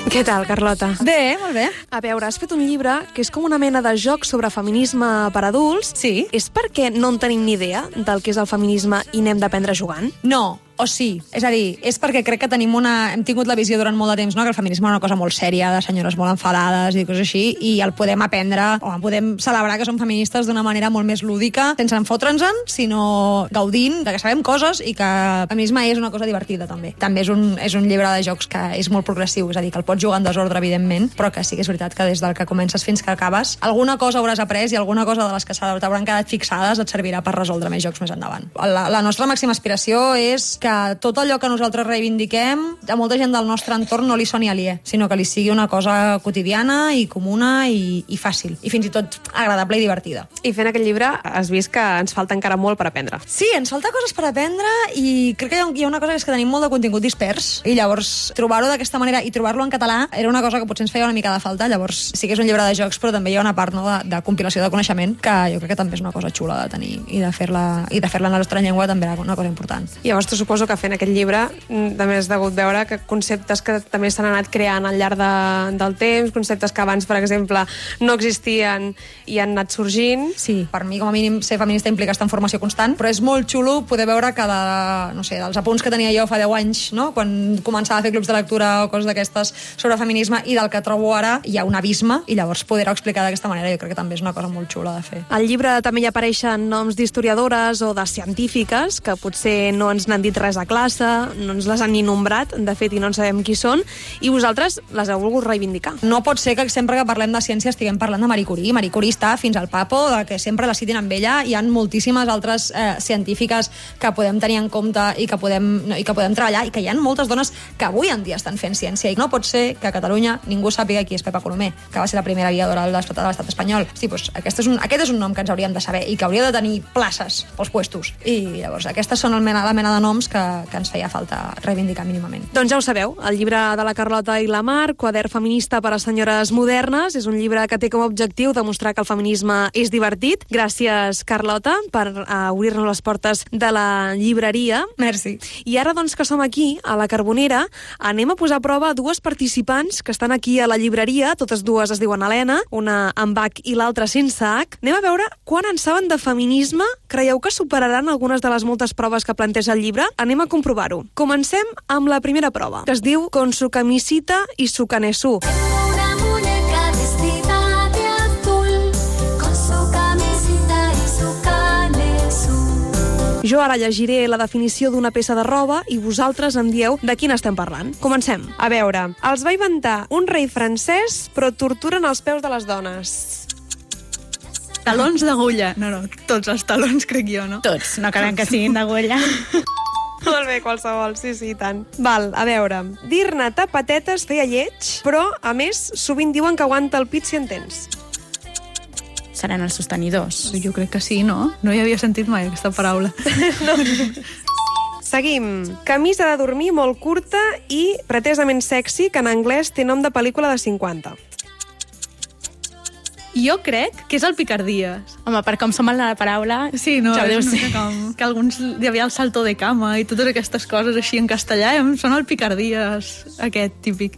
Què tal, Carlota? Bé, molt bé. A veure, has fet un llibre que és com una mena de joc sobre feminisme per adults. Sí. És perquè no en tenim ni idea del que és el feminisme i n'hem d'aprendre jugant? No, o sí. És a dir, és perquè crec que tenim una... hem tingut la visió durant molt de temps, no?, que el feminisme és una cosa molt sèria, de senyores molt enfadades i coses així, i el podem aprendre, o podem celebrar que som feministes d'una manera molt més lúdica, sense enfotre'ns-en, sinó gaudint de que sabem coses i que el feminisme és una cosa divertida, també. També és un, és un llibre de jocs que és molt progressiu, és a dir, que el pots jugar en desordre, evidentment, però que sí que és veritat que des del que comences fins que acabes, alguna cosa hauràs après i alguna cosa de les que t'hauran quedat fixades et servirà per resoldre més jocs més endavant. La, la nostra màxima aspiració és que tot allò que nosaltres reivindiquem a molta gent del nostre entorn no li soni aliè, sinó que li sigui una cosa quotidiana i comuna i, i fàcil, i fins i tot agradable i divertida. I fent aquest llibre has vist que ens falta encara molt per aprendre. Sí, ens falta coses per aprendre i crec que hi ha, hi ha una cosa que és que tenim molt de contingut dispers i llavors trobar-ho d'aquesta manera i trobar-lo en català era una cosa que potser ens feia una mica de falta. Llavors sí que és un llibre de jocs, però també hi ha una part, no, de, de compilació de coneixement que jo crec que també és una cosa xula de tenir i de fer-la i de fer-la en la nostra llengua també era una cosa important. Llavors, tu suposo que fent aquest llibre també has degut veure que conceptes que també s'han anat creant al llarg de, del temps, conceptes que abans, per exemple, no existien i han anat sorgint. Sí, per mi, com a mínim, ser feminista implica estar en formació constant, però és molt xulo poder veure que de, no sé, dels apunts que tenia jo fa deu anys, no?, quan començava a fer clubs de lectura o coses d'aquestes sobre feminisme i del que trobo ara, hi ha un abisme i llavors poder-ho explicar d'aquesta manera jo crec que també és una cosa molt xula de fer. Al llibre també hi apareixen noms d'historiadores o de científiques que potser no ens n'han dit res a classe, no ens les han ni nombrat, de fet, i no en sabem qui són, i vosaltres les heu volgut reivindicar. No pot ser que sempre que parlem de ciència estiguem parlant de Marie Curie. Marie Curie està fins al papo, de que sempre la citin amb ella. Hi ha moltíssimes altres eh, científiques que podem tenir en compte i que podem, no, i que podem treballar, i que hi ha moltes dones que avui en dia estan fent ciència. I no pot ser que a Catalunya ningú sàpiga qui és Pepa Colomer, que va ser la primera aviadora de l'estat espanyol. Sí, doncs, aquest, és un, aquest és un nom que ens hauríem de saber i que hauria de tenir places pels puestos. I llavors aquestes són el mena, la mena de noms que, que ens feia falta reivindicar mínimament. Doncs ja ho sabeu, el llibre de la Carlota i la Mar, Quadern feminista per a senyores modernes, és un llibre que té com a objectiu demostrar que el feminisme és divertit. Gràcies, Carlota, per uh, obrir-nos les portes de la llibreria. Merci. I ara, doncs, que som aquí, a la Carbonera, anem a posar a prova dues participants que estan aquí a la llibreria, totes dues es diuen Helena, una amb H i l'altra sense H. Anem a veure quan en saben de feminisme. Creieu que superaran algunes de les moltes proves que planteja el llibre? Anem a comprovar-ho. Comencem amb la primera prova, que es diu Con su camisita y su canesú. Una muñeca vestida de azul, con su camisita y su canesú. Jo ara llegiré la definició d'una peça de roba i vosaltres em dieu de quina estem parlant. Comencem. A veure, els va inventar un rei francès, però torturen els peus de les dones. Talons d'agulla. No, no, tots els talons, crec jo, no? Tots, no calen que siguin d'agulla. Molt bé, qualsevol, sí, sí, tant. Val, a veure, dir-ne tapatetes feia lleig, però, a més, sovint diuen que aguanta el pit si en tens. Seran els sostenidors. Jo crec que sí, no? No hi havia sentit mai aquesta paraula. No. Seguim. Camisa de dormir molt curta i pretesament sexy, que en anglès té nom de pel·lícula de cinquanta. Jo crec que és el picardies. Home, per com som en la paraula... Sí, no, ja és una com que alguns hi havia el salto de cama i totes aquestes coses així en castellà, em sona el picardies, aquest típic.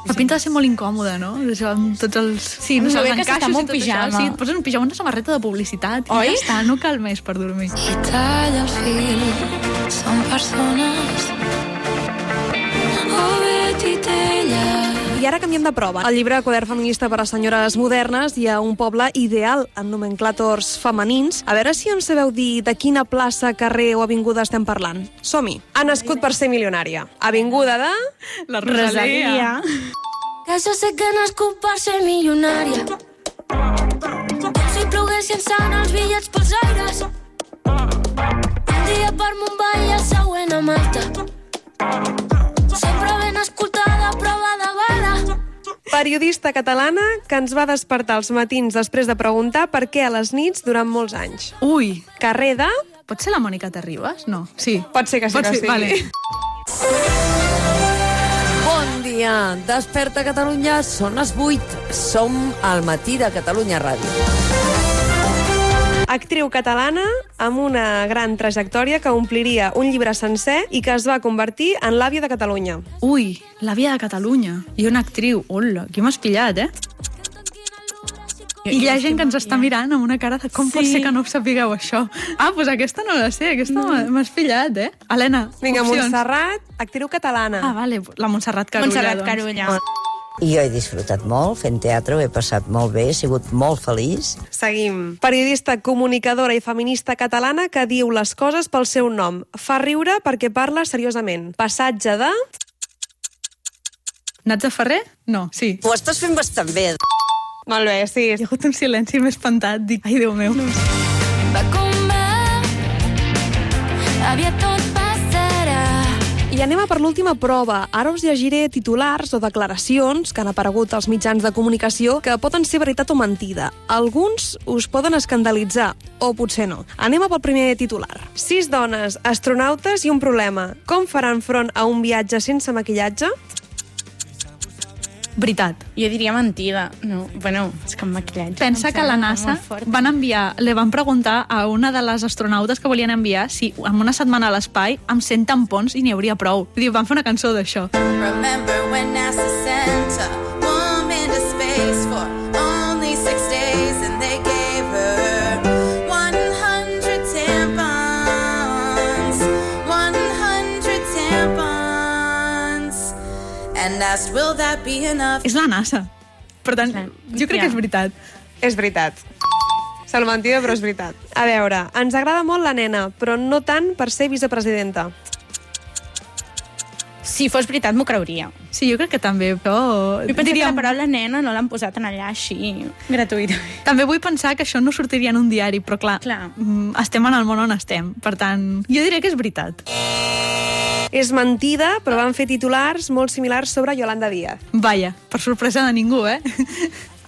La pinta de ser molt incòmoda, no? Això, amb tots els... Sí, no, no sé, els encaixos i tot pijama. això. Sí, et poses un pijama, una samarreta de publicitat Oi? I ja està, no cal més per dormir. I talla el fil, són persones. Oh, I ara canviem de prova. Al llibre Quadern feminista per a senyores modernes hi ha un poble ideal en nomenclàtors femenins. A veure si ens sabeu dir de quina plaça, carrer o avinguda estem parlant. Som-hi. Ha nascut per ser milionària. Avinguda de... La Rosalia. Que jo sé que he nascut per ser milionària. Si ploguessin sant els bitllets pels aires. Un dia per Mumbai i el següent a Malta. Sempre ben escoltada, prova de bala. Periodista catalana que ens va despertar els matins després de preguntar per què a les nits durant molts anys. Ui. Carrer de... Pot ser la Mònica Terribas? No. Sí. Pot ser que sí Pot que ser, sí. Vale. Bon dia. Desperta Catalunya, són les vuit. Som al matí de Catalunya Ràdio. Actriu catalana amb una gran trajectòria que ompliria un llibre sencer i que es va convertir en l'àvia de Catalunya. Ui, l'àvia de Catalunya. I una actriu. Hola, aquí m'has pillat, eh? I hi ha gent que ens està mirant amb una cara de com sí. pot ser que no ho sapigueu, això. Ah, doncs aquesta no la sé, aquesta no. m'has pillat, eh? Helena, Vinga, opcions. Montserrat, actriu catalana. Ah, vale, la Montserrat Carulla. Montserrat doncs. Carulla. I jo he disfrutat molt fent teatre, ho he passat molt bé, he sigut molt feliç. Seguim. Periodista, comunicadora i feminista catalana que diu les coses pel seu nom. Fa riure perquè parla seriosament. Passatge de... Natza Ferrer? No, sí. Ho estàs fent bastant bé. Molt bé, sí. Hi ha hagut un silenci més espantat. Dic, ai, Déu meu. Va com va, aviat tot passarà. I anem a per l'última prova. Ara us llegiré titulars o declaracions que han aparegut als mitjans de comunicació que poden ser veritat o mentida. Alguns us poden escandalitzar, o potser no. Anem a pel primer titular. Sis dones, astronautes i un problema. Com faran front a un viatge sense maquillatge? Veritat. Jo diria mentida. No, bueno, és que amb maquillatge... Pensa que la NASA van enviar, li van preguntar a una de les astronautes que volien enviar si en una setmana a l'espai amb cent tampons i n'hi hauria prou. Vull dir, van fer una cançó d'això. Remember when NASA sent a woman to space for only six days and they gave her one hundred tampons, one hundred tampons, and asked, will that be enough? És la NASA. Per tant, jo crec que és veritat. És veritat. Sembla mentida, però és veritat. A veure, ens agrada molt la nena, però no tant per ser vicepresidenta. Si fos veritat, m'ho creuria. Sí, jo crec que també, però... Jo penso diríem... que la paraula nena no l'han posat en allà així, gratuït. També vull pensar que això no sortiria en un diari, però clar, clar. estem en el món on estem. Per tant, jo diré que és veritat. És mentida, però van fer titulars molt similars sobre Yolanda Díaz. Vaja, per sorpresa de ningú, eh?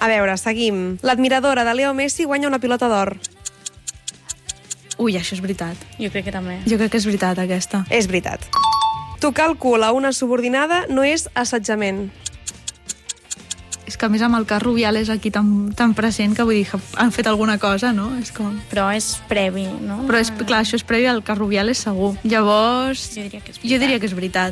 A veure, seguim. L'admiradora de Leo Messi guanya una pilota d'or. Ui, això és veritat. Jo crec que també. Jo crec que és veritat, aquesta. És veritat. Tocar el cul a una subordinada no és assetjament. És que a més amb el cas Rubiales aquí tan, tan present que vull dir que han fet alguna cosa, no? És com... Però és previ, no? Però és, clar, això és previ al cas Rubiales segur. Llavors, jo diria que és veritat. Jo diria que és veritat.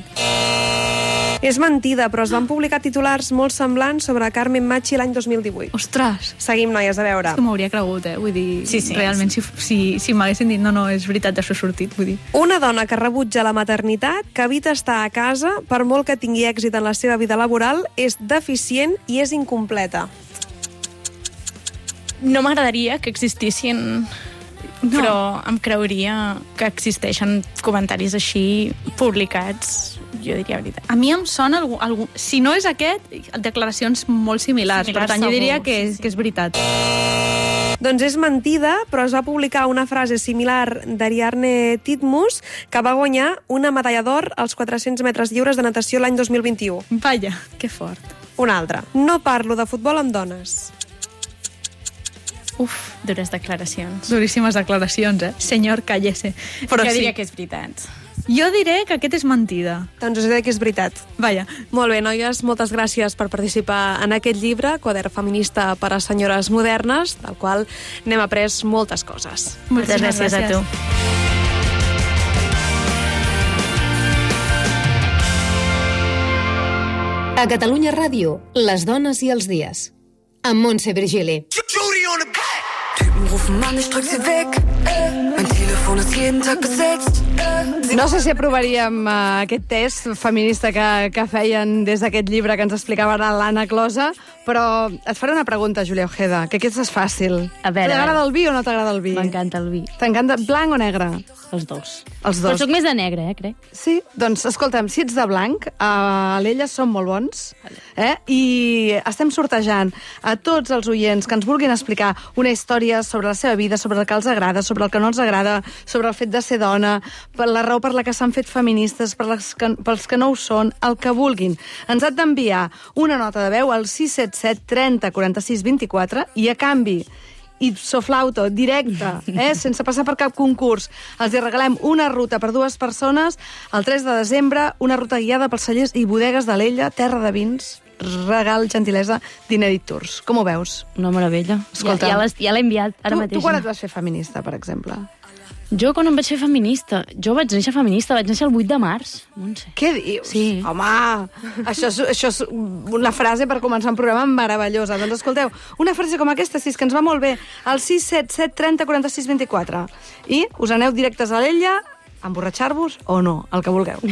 És mentida, però es van publicar titulars molt semblants sobre Carmen Machi l'any dos mil divuit. Ostres! Seguim, noies, a veure. És que m'hauria cregut, eh? Vull dir, sí, sí, realment, sí. si, si, si m'haguessin dit no, no, és veritat, això ha sortit, vull dir. Una dona que rebutja la maternitat, que evita estar a casa, per molt que tingui èxit en la seva vida laboral, és deficient i és incompleta. No m'agradaria que existissin... No. Però em creuria que existeixen comentaris així publicats, jo diria veritat. A mi em sona, algú, algú, si no és aquest, declaracions molt similars, similars per tant jo diria que és, que és veritat. Doncs és mentida, però es va publicar una frase similar d'Ariadne Titmus, que va guanyar una medalla d'or als quatre-cents metres lliures de natació l'any dos mil vint-i-u. Vaja, que fort. Una altra. No parlo de futbol amb dones. Uf, dures declaracions. Duríssimes declaracions, eh? Senyor, cállese. Però jo diria sí. que és veritat. Jo diré que aquest és mentida. Doncs us diré que és veritat. Vaja. Molt bé, noies, moltes gràcies per participar en aquest llibre, Quadern feminista per a senyores modernes, del qual n'hem après moltes coses. Moltes gràcies, gràcies a tu. A Catalunya Ràdio, les dones i els dies. Amb Montse Virgili. Typen rufen an, ich drück sie weg. Mein Telefon ist jeden Tag besetzt. No sé si aprovaríem uh, aquest test feminista que, que feien des d'aquest llibre que ens explicava ara l'Anna Closa, però et faré una pregunta, Júlia Ojeda, que aquesta és fàcil. A veure, t'agrada el vi o no t'agrada el vi? M'encanta el vi. T'encanta blanc o negre? Els dos. Els dos. Però soc més de negre, eh, crec. Sí? Doncs, escolta'm, si ets de blanc, a l'Ella són molt bons, eh? I estem sortejant a tots els oients que ens vulguin explicar una història sobre la seva vida, sobre el que els agrada, sobre el que no els agrada, sobre el fet de ser dona, per la raó per la que s'han fet feministes, per les que, pels que no ho són, el que vulguin. Ens han d'enviar una nota de veu al sis set set trenta quaranta-sis vint-i-quatre i a canvi ipso flauto, directe, eh, sense passar per cap concurs. Els hi regalem una ruta per dues persones el tres de desembre, una ruta guiada pels cellers i bodegues de l'Ella, terra de vins, regal, gentilesa, Dinerit Tours. Com ho veus? Una meravella. Escolta, ja, ja l'he enviat ara tu, mateix. Tu quan et vas fer feminista, per exemple? Jo quan em vaig fer feminista? Jo vaig néixer feminista, vaig néixer el vuit de març, Montse. Què dius? Sí. Home, això és, això és una frase per començar un programa meravellosa. Doncs escolteu, una frase com aquesta, si és que ens va molt bé, al sis set set trenta quaranta-sis vint-i-quatre. I us aneu directes a l'Ella, a emborratxar-vos o no, el que vulgueu.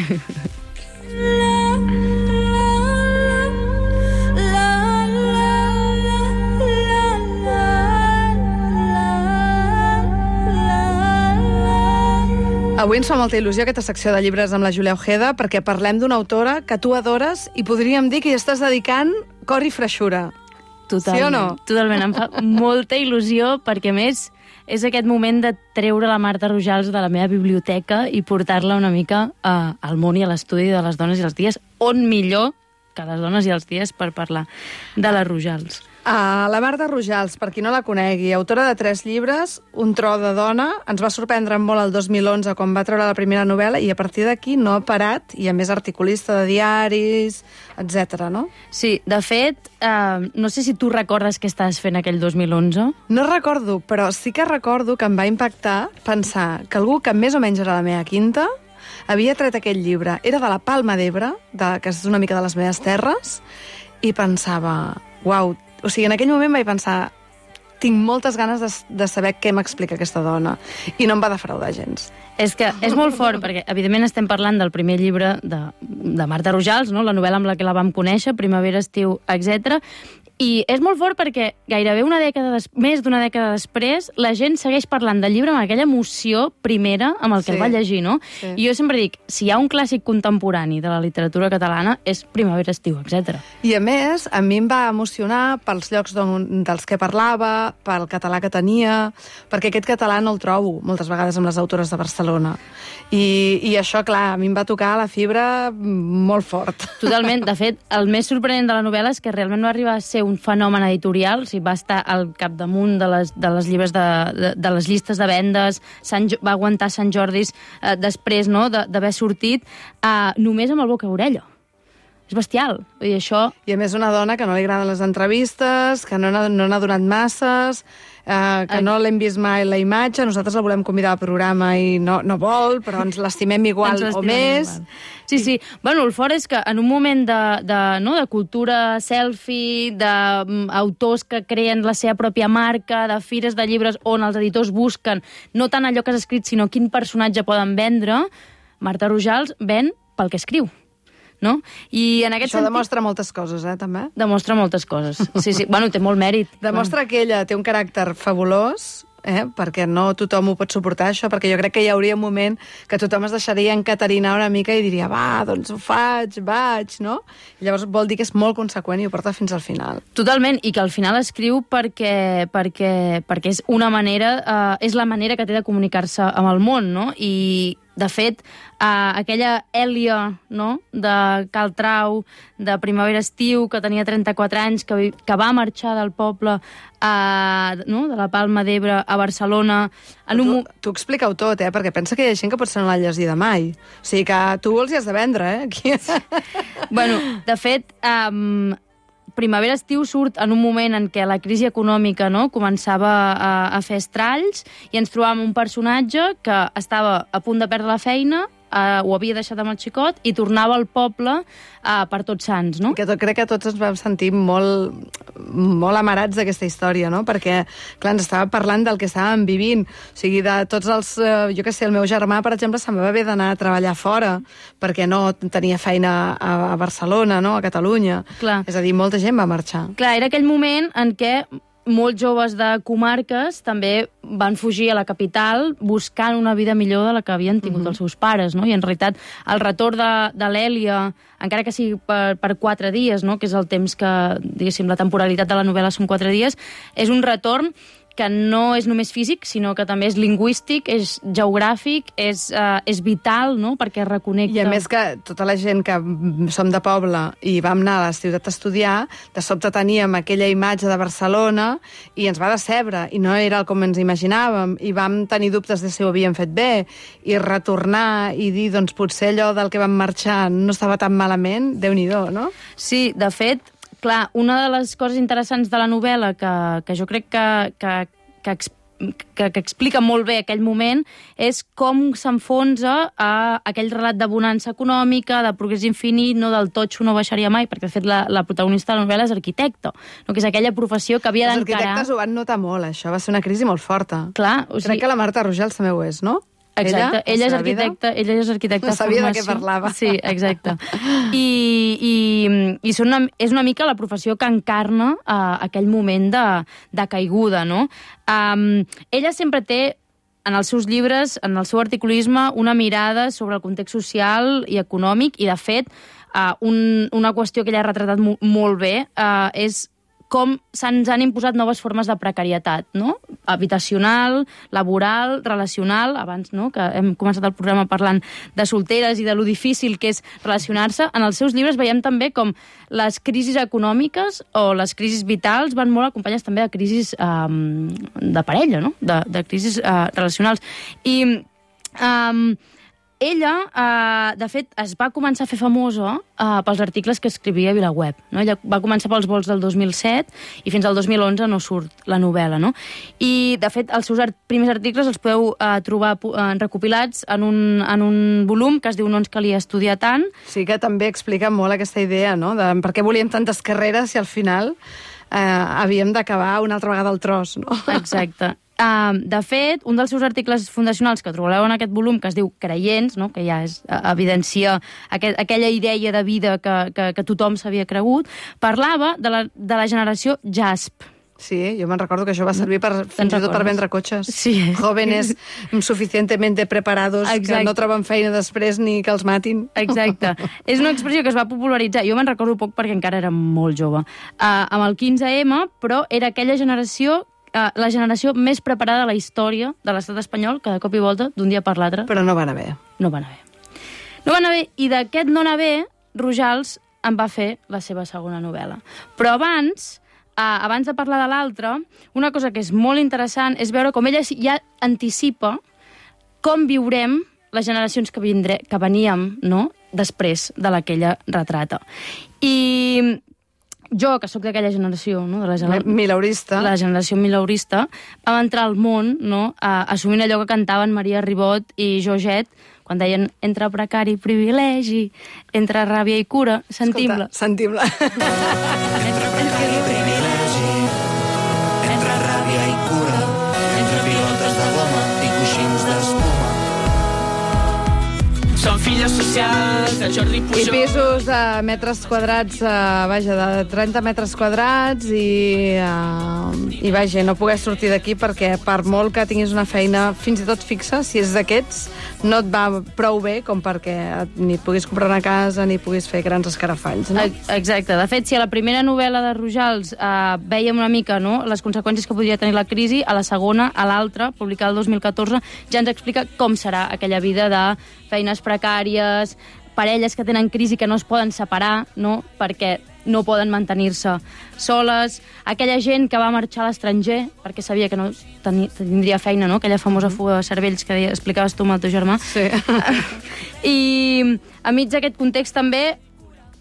Avui ens fa molta il·lusió aquesta secció de llibres amb la Júlia Ojeda perquè parlem d'una autora que tu adores i podríem dir que hi estàs dedicant cor i freixura. Totalment, sí o no? Totalment, em fa molta il·lusió perquè, a més, és aquest moment de treure la Marta Rojals de la meva biblioteca i portar-la una mica uh, al món i a l'estudi de les dones i els dies, on millor que les dones i els dies per parlar de les Rojals. Uh, la Marta Rojals, per qui no la conegui, autora de tres llibres, Un tro de dona, ens va sorprendre molt el dos mil onze quan va treure la primera novel·la i a partir d'aquí no ha parat, i a més articulista de diaris, etcètera, no? Sí, de fet, uh, no sé si tu recordes què estaves fent aquell dos mil onze. No recordo, però sí que recordo que em va impactar pensar que algú que més o menys era la meva quinta havia tret aquell llibre. Era de la Palma d'Ebre, de, que és una mica de les meves terres, i pensava, uau, o sigui, en aquell moment vaig pensar, tinc moltes ganes de, de saber què m'explica aquesta dona. I no em va defraudar gens. És que és molt fort, perquè evidentment estem parlant del primer llibre de, de Marta Rojals, no? La novel·la amb la que la vam conèixer, Primavera, estiu, etcètera. I és molt fort perquè gairebé una dècada des... més d'una dècada després la gent segueix parlant del llibre amb aquella emoció primera amb el que Sí. el va llegir, no? Sí. I jo sempre dic, si hi ha un clàssic contemporani de la literatura catalana és Primavera, estiu, etcètera. I a més, a mi em va emocionar pels llocs d'on, dels que parlava, pel català que tenia, perquè aquest català no el trobo moltes vegades amb les autores de Barcelona. I, i això, clar, a mi em va tocar la fibra molt fort. Totalment. De fet, el més sorprenent de la novel·la és que realment no arriba a ser un fenomen editorial, o sigui, va estar al capdamunt de les, de les llibres de, de, de les llistes de vendes, Sant, va aguantar Sant Jordis eh, després, no?, d'haver sortit, eh, només amb el boca-orella. És bestial. Vull dir, això... I a més una dona que no li agraden les entrevistes, que no n'ha no n'ha donat masses, eh, que no l'hem vist mai la imatge, nosaltres la volem convidar al programa i no, no vol, però ens l'estimem igual Ens o l'estimem més. igual. Sí, sí. Bueno, el fort és que en un moment de, de, no, de cultura selfie, d'autors que creen la seva pròpia marca, de fires de llibres on els editors busquen no tant allò que has escrit, sinó quin personatge poden vendre, Marta Rojals ven pel que escriu. No? I en aquest Això sentit... demostra moltes coses, eh, també. Demostra moltes coses. Sí, sí. Bueno, té molt mèrit. Demostra que ella té un caràcter fabulós, eh, perquè no tothom ho pot suportar, això, perquè jo crec que hi hauria un moment que tothom es deixaria encatarinar una mica i diria, va, doncs ho faig, vaig, no? I llavors vol dir que és molt conseqüent i ho porta fins al final. Totalment, i que al final escriu perquè, perquè, perquè és una manera, eh, és la manera que té de comunicar-se amb el món, no? I, de fet, eh, aquella Èlia, no?, de Cal Trau, de Primavera-estiu, que tenia trenta-quatre anys, que, vi- que va marxar del poble, eh, no?, de la Palma d'Ebre a Barcelona... En un... Tu, tu explica-ho tot, eh? Perquè pensa que hi ha gent que potser no l'ha llegida mai. O sigui que tu els hi has de vendre, eh? Aquí. Bueno, de fet, um, Primavera-estiu surt en un moment en què la crisi econòmica, no?, començava a, a fer estralls i ens trobàvem un personatge que estava a punt de perdre la feina, eh, ho havia deixat amb el xicot i tornava al poble eh, per Tots Sants, no? Que tot, crec que tots ens vam sentir molt, molt amarats d'aquesta història, no? Perquè, clar, ens estava parlant del que estàvem vivint. O sigui, de tots els... Eh, jo què sé, el meu germà, per exemple, se'n va haver d'anar a treballar fora perquè no tenia feina a, a Barcelona, no? A Catalunya. Clar. És a dir, molta gent va marxar. Clar, era aquell moment en què molts joves de comarques també van fugir a la capital buscant una vida millor de la que havien tingut uh-huh. els seus pares, no? I en realitat el retorn de, de l'Èlia, encara que sigui per, per quatre dies, no? Que és el temps que, diguéssim, la temporalitat de la novel·la són quatre dies, és un retorn que no és només físic, sinó que també és lingüístic, és geogràfic, és, uh, és vital, no?, perquè reconnecta... I a més que tota la gent que som de poble i vam anar a la ciutat a estudiar, de sobte teníem aquella imatge de Barcelona i ens va decebre, i no era com ens imaginàvem, i vam tenir dubtes de si ho havíem fet bé, i retornar i dir, doncs potser allò del que vam marxar no estava tan malament, Déu-n'hi-do, no? Sí, de fet, clar, una de les coses interessants de la novel·la que, que jo crec que, que, que, que, que explica molt bé aquell moment és com s'enfonsa a aquell relat de bonança econòmica, de progrés infinit, no del totxo no baixaria mai, perquè de fet la, la protagonista de la novel·la és arquitecte, no? Que és aquella professió que havia d'encarar... Els arquitectes ho van notar molt, això, va ser una crisi molt forta. Clar, o sigui... Crec que la Marta Rogels també ho és, no? Exacte, ella, ella és arquitecta, ella és arquitecta no sabia formació. de què parlava. Sí, exacte. I, i, i són una, és una mica la professió que encarna uh, aquell moment de, de caiguda, no? Um, ella sempre té, en els seus llibres, en el seu articulisme, una mirada sobre el context social i econòmic, i de fet, uh, un, una qüestió que ella ha retratat mo molt bé uh, és com se'ns han imposat noves formes de precarietat, no? Habitacional, laboral, relacional, abans, no?, que hem començat el programa parlant de solteres i de lo difícil que és relacionar-se. En els seus llibres veiem també com les crisis econòmiques o les crisis vitals van molt acompanyades també de crisis um, de parella, no?, de, de crisis uh, relacionals. I... Um, Ella, eh, de fet, es va començar a fer famosa eh, pels articles que escrivia a VilaWeb. No? Ella va començar pels vols del dos mil set i fins al dos mil onze no surt la novel·la. No? I, de fet, els seus art primers articles els podeu eh, trobar eh, recopilats en un, en un volum que es diu No ens calia estudiar tant. Sí, que també explica molt aquesta idea, no?, de per què volíem tantes carreres i al final eh, havíem d'acabar una altra vegada al tros, no? Exacte. Uh, de fet, un dels seus articles fundacionals que trobareu en aquest volum, que es diu Creients, no?, que ja és, uh, evidencia aquest, aquella idea de vida que, que, que tothom s'havia cregut, parlava de la, de la generació JASP. Sí, jo me'n recordo que això va servir per, fins i tot per vendre cotxes. Sí. Jóvenes suficientemente preparados. Exacte. Que no troben feina després ni que els matin. Exacte. És una expressió que es va popularitzar. Jo me'n recordo poc perquè encara era molt jove. Uh, amb el quinze ema, però era aquella generació Uh, la generació més preparada de la història de l'estat espanyol, que de cop i volta, d'un dia per l'altre... Però no van haver. No van haver. No van haver, i d'aquest no anar bé, Rojals en va fer la seva segona novel·la. Però abans, uh, abans de parlar de l'altra, una cosa que és molt interessant és veure com ella ja anticipa com viurem les generacions que, vindré, que veníem, no?, després de la que ella retrata. I... jo, que sóc d'aquella generació, no? De la gener... Milaurista. La generació milaurista, vam entrar al món, no?, a, assumint allò que cantaven Maria Ribot i Georgette, quan deien entre precari i privilegi, entre ràbia i cura, sentim-la. Sentim-la. Entre precari i privilegi, entre ràbia i cura, entre pilotes de goma i coixins d'espuma. Som filles socials de Jordi Pujol. I pisos de metres quadrats, uh, vaja, de trenta metres quadrats i, uh, i vaja, no poder sortir d'aquí perquè per molt que tinguis una feina fins i tot fixa, si és d'aquests, no et va prou bé com perquè ni puguis comprar una casa ni puguis fer grans escarafalls, no? Exacte. De fet, si a la primera novel·la de Rojals uh, vèiem una mica, no?, les conseqüències que podria tenir la crisi, a la segona, a l'altra, publicada el dos mil catorze, ja ens explica com serà aquella vida de feines precàries, parelles que tenen crisi que no es poden separar, no?, perquè no poden mantenir-se soles, aquella gent que va marxar a l'estranger perquè sabia que no teni, tindria feina, no?, aquella famosa fuga de cervells que explicaves tu amb el teu germà. Sí. I enmig d'aquest context també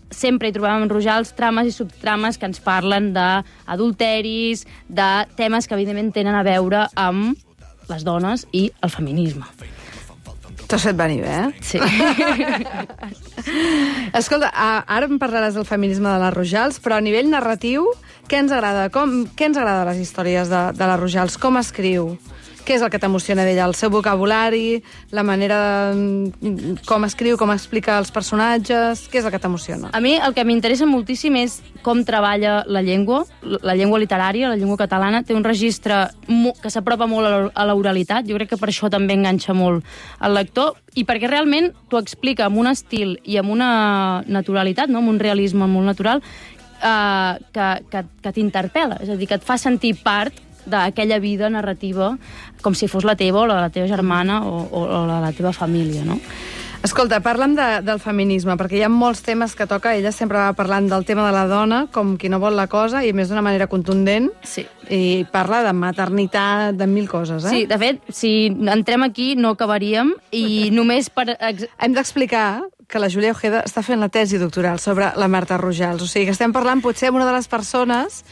sempre hi trobàvem en Rojals trames i subtrames que ens parlen d'adulteris, de temes que evidentment tenen a veure amb les dones i el feminisme. T'has fet venir bé, eh? Sí. Escolta, ara em parlaràs del feminisme de la Rojals, però a nivell narratiu, què ens agrada? Com, què ens agrada de les històries de, de la Rojals? Com escriu? Què és el que t'emociona d'ella? El seu vocabulari, la manera de, com escriu, com explica els personatges... Què és el que t'emociona? A mi el que m'interessa moltíssim és com treballa la llengua, la llengua literària, la llengua catalana. Té un registre que s'apropa molt a l'oralitat. Jo crec que per això també enganxa molt el lector i perquè realment t'ho explica amb un estil i amb una naturalitat, no? Amb un realisme molt natural, eh, que, que, que t'interpel·la. És a dir, que et fa sentir part d'aquella vida narrativa com si fos la teva o la de la teva germana o, o, o la de la teva família, no? Escolta, parla'm de, del feminisme, perquè hi ha molts temes que toca. Ella sempre va parlant del tema de la dona, com qui no vol la cosa, i més d'una manera contundent. Sí. I parla de maternitat, de mil coses, eh? Sí, de fet, si entrem aquí no acabaríem, i només per... Hem d'explicar que la Júlia Ojeda està fent la tesi doctoral sobre la Marta Rojals. O sigui, que estem parlant potser amb una de les persones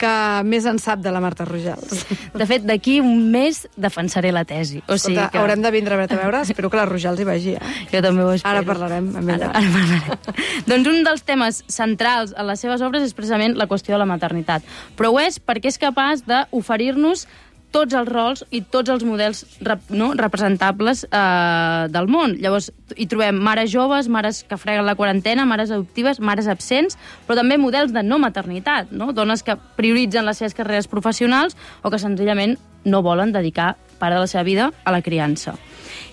que més en sap de la Marta Rojals. De fet, d'aquí un mes defensaré la tesi. O sigui Escolta, que... haurem de vindre a veure, a veure. Espero que la Rojals hi vagi. Eh? Jo també ho espero. Ara parlarem amb ella. Ara, ara parlarem. Doncs un dels temes centrals en les seves obres és precisament la qüestió de la maternitat. Però ho és perquè és capaç d'oferir-nos tots els rols i tots els models rep, no, representables eh, del món. Llavors, hi trobem mares joves, mares que freguen la quarantena, mares adoptives, mares absents, però també models de no maternitat, no? Dones que prioritzen les seves carreres professionals o que senzillament no volen dedicar part de la seva vida a la criança.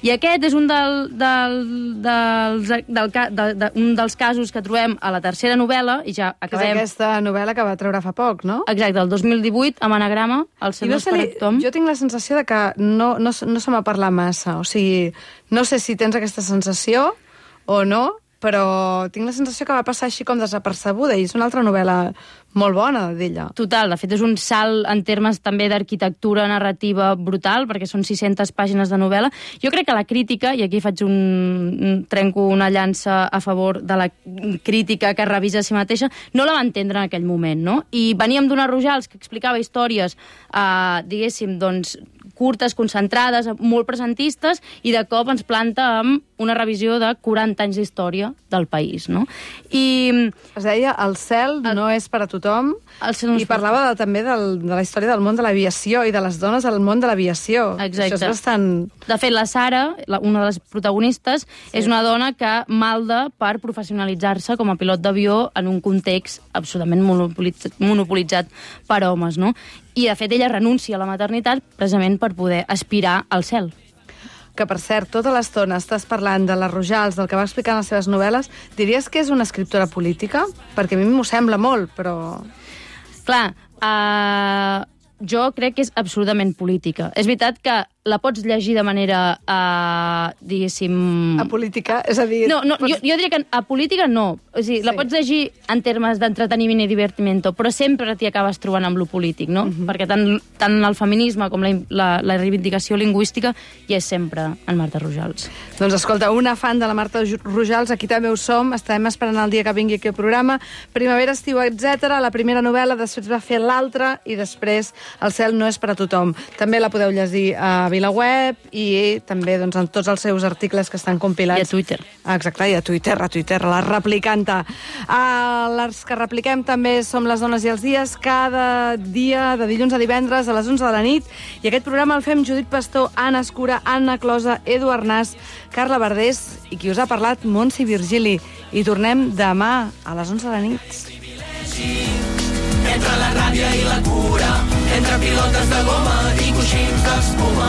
I aquest és un, del, del, dels, del, de, de, un dels casos que trobem a la tercera novel·la, i ja acabem... És aquesta novel·la que va treure fa poc, no? Exacte, el dos mil divuit, amb Anagrama, el seu no sé, Tom. Jo tinc la sensació de que no, no, no se m'ha parlat massa. O sigui, no sé si tens aquesta sensació o no, però tinc la sensació que va passar així com desapercebuda, i és una altra novel·la molt bona d'ella. Total, de fet és un salt en termes també d'arquitectura narrativa brutal, perquè són sis-centes pàgines de novel·la. Jo crec que la crítica, i aquí faig un... trenco una llança a favor de la crítica que revisa a si mateixa, no la va entendre en aquell moment, no? I veníem d'una Rojals que explicava històries, eh, diguéssim, doncs, curtes, concentrades, molt presentistes, i de cop ens planta amb una revisió de quaranta anys d'història del país, no? I... Es deia El cel el... no és per a tothom, no i parlava de, també del, de la història del món de l'aviació i de les dones al món de l'aviació. Exacte. Això és bastant... De fet, la Sara, la, una de les protagonistes, sí. és una dona que malda per professionalitzar-se com a pilot d'avió en un context absolutament monopolitzat, monopolitzat per homes, no? I, de fet, ella renuncia a la maternitat precisament per poder aspirar al cel. Que, per cert, tota l'estona estàs parlant de les Rojals, del que va explicar en les seves novel·les. Diries que és una escriptora política? Perquè a mi m'ho sembla molt, però... Clar, uh, jo crec que és absolutament política. És veritat que la pots llegir de manera, uh, diguéssim... Apolítica? És a dir... No, no pots... jo, jo diria que apolítica no. O sigui, sí. La pots llegir en termes d'entreteniment i divertimento, però sempre t'hi acabes trobant amb lo polític, no? Uh-huh. Perquè tant, tant el feminisme com la, la, la reivindicació lingüística hi és sempre en Marta Rojals. Doncs escolta, una fan de la Marta Rojals, aquí també ho som, estem esperant el dia que vingui aquí al programa. Primavera, estiu, etcètera. La primera novel·la, després va fer l'altra, i després El cel no és per a tothom. També la podeu llegir a VilaWeb i també doncs, en tots els seus articles que estan compilats. I a Twitter. Exacte, i a Twitter, a Twitter, la replicanta. Uh, les que repliquem també som Les dones i els dies, cada dia de dilluns a divendres a les onze de la nit, i aquest programa el fem Judit Pastor, Anna Escura, Anna Closa, Edu Arnàs, Carla Verdés i qui us ha parlat, Montse Virgili. I tornem demà a les onze de la nit. Entre la ràbia i la cura, entre pilotes de goma i coixins d'espuma,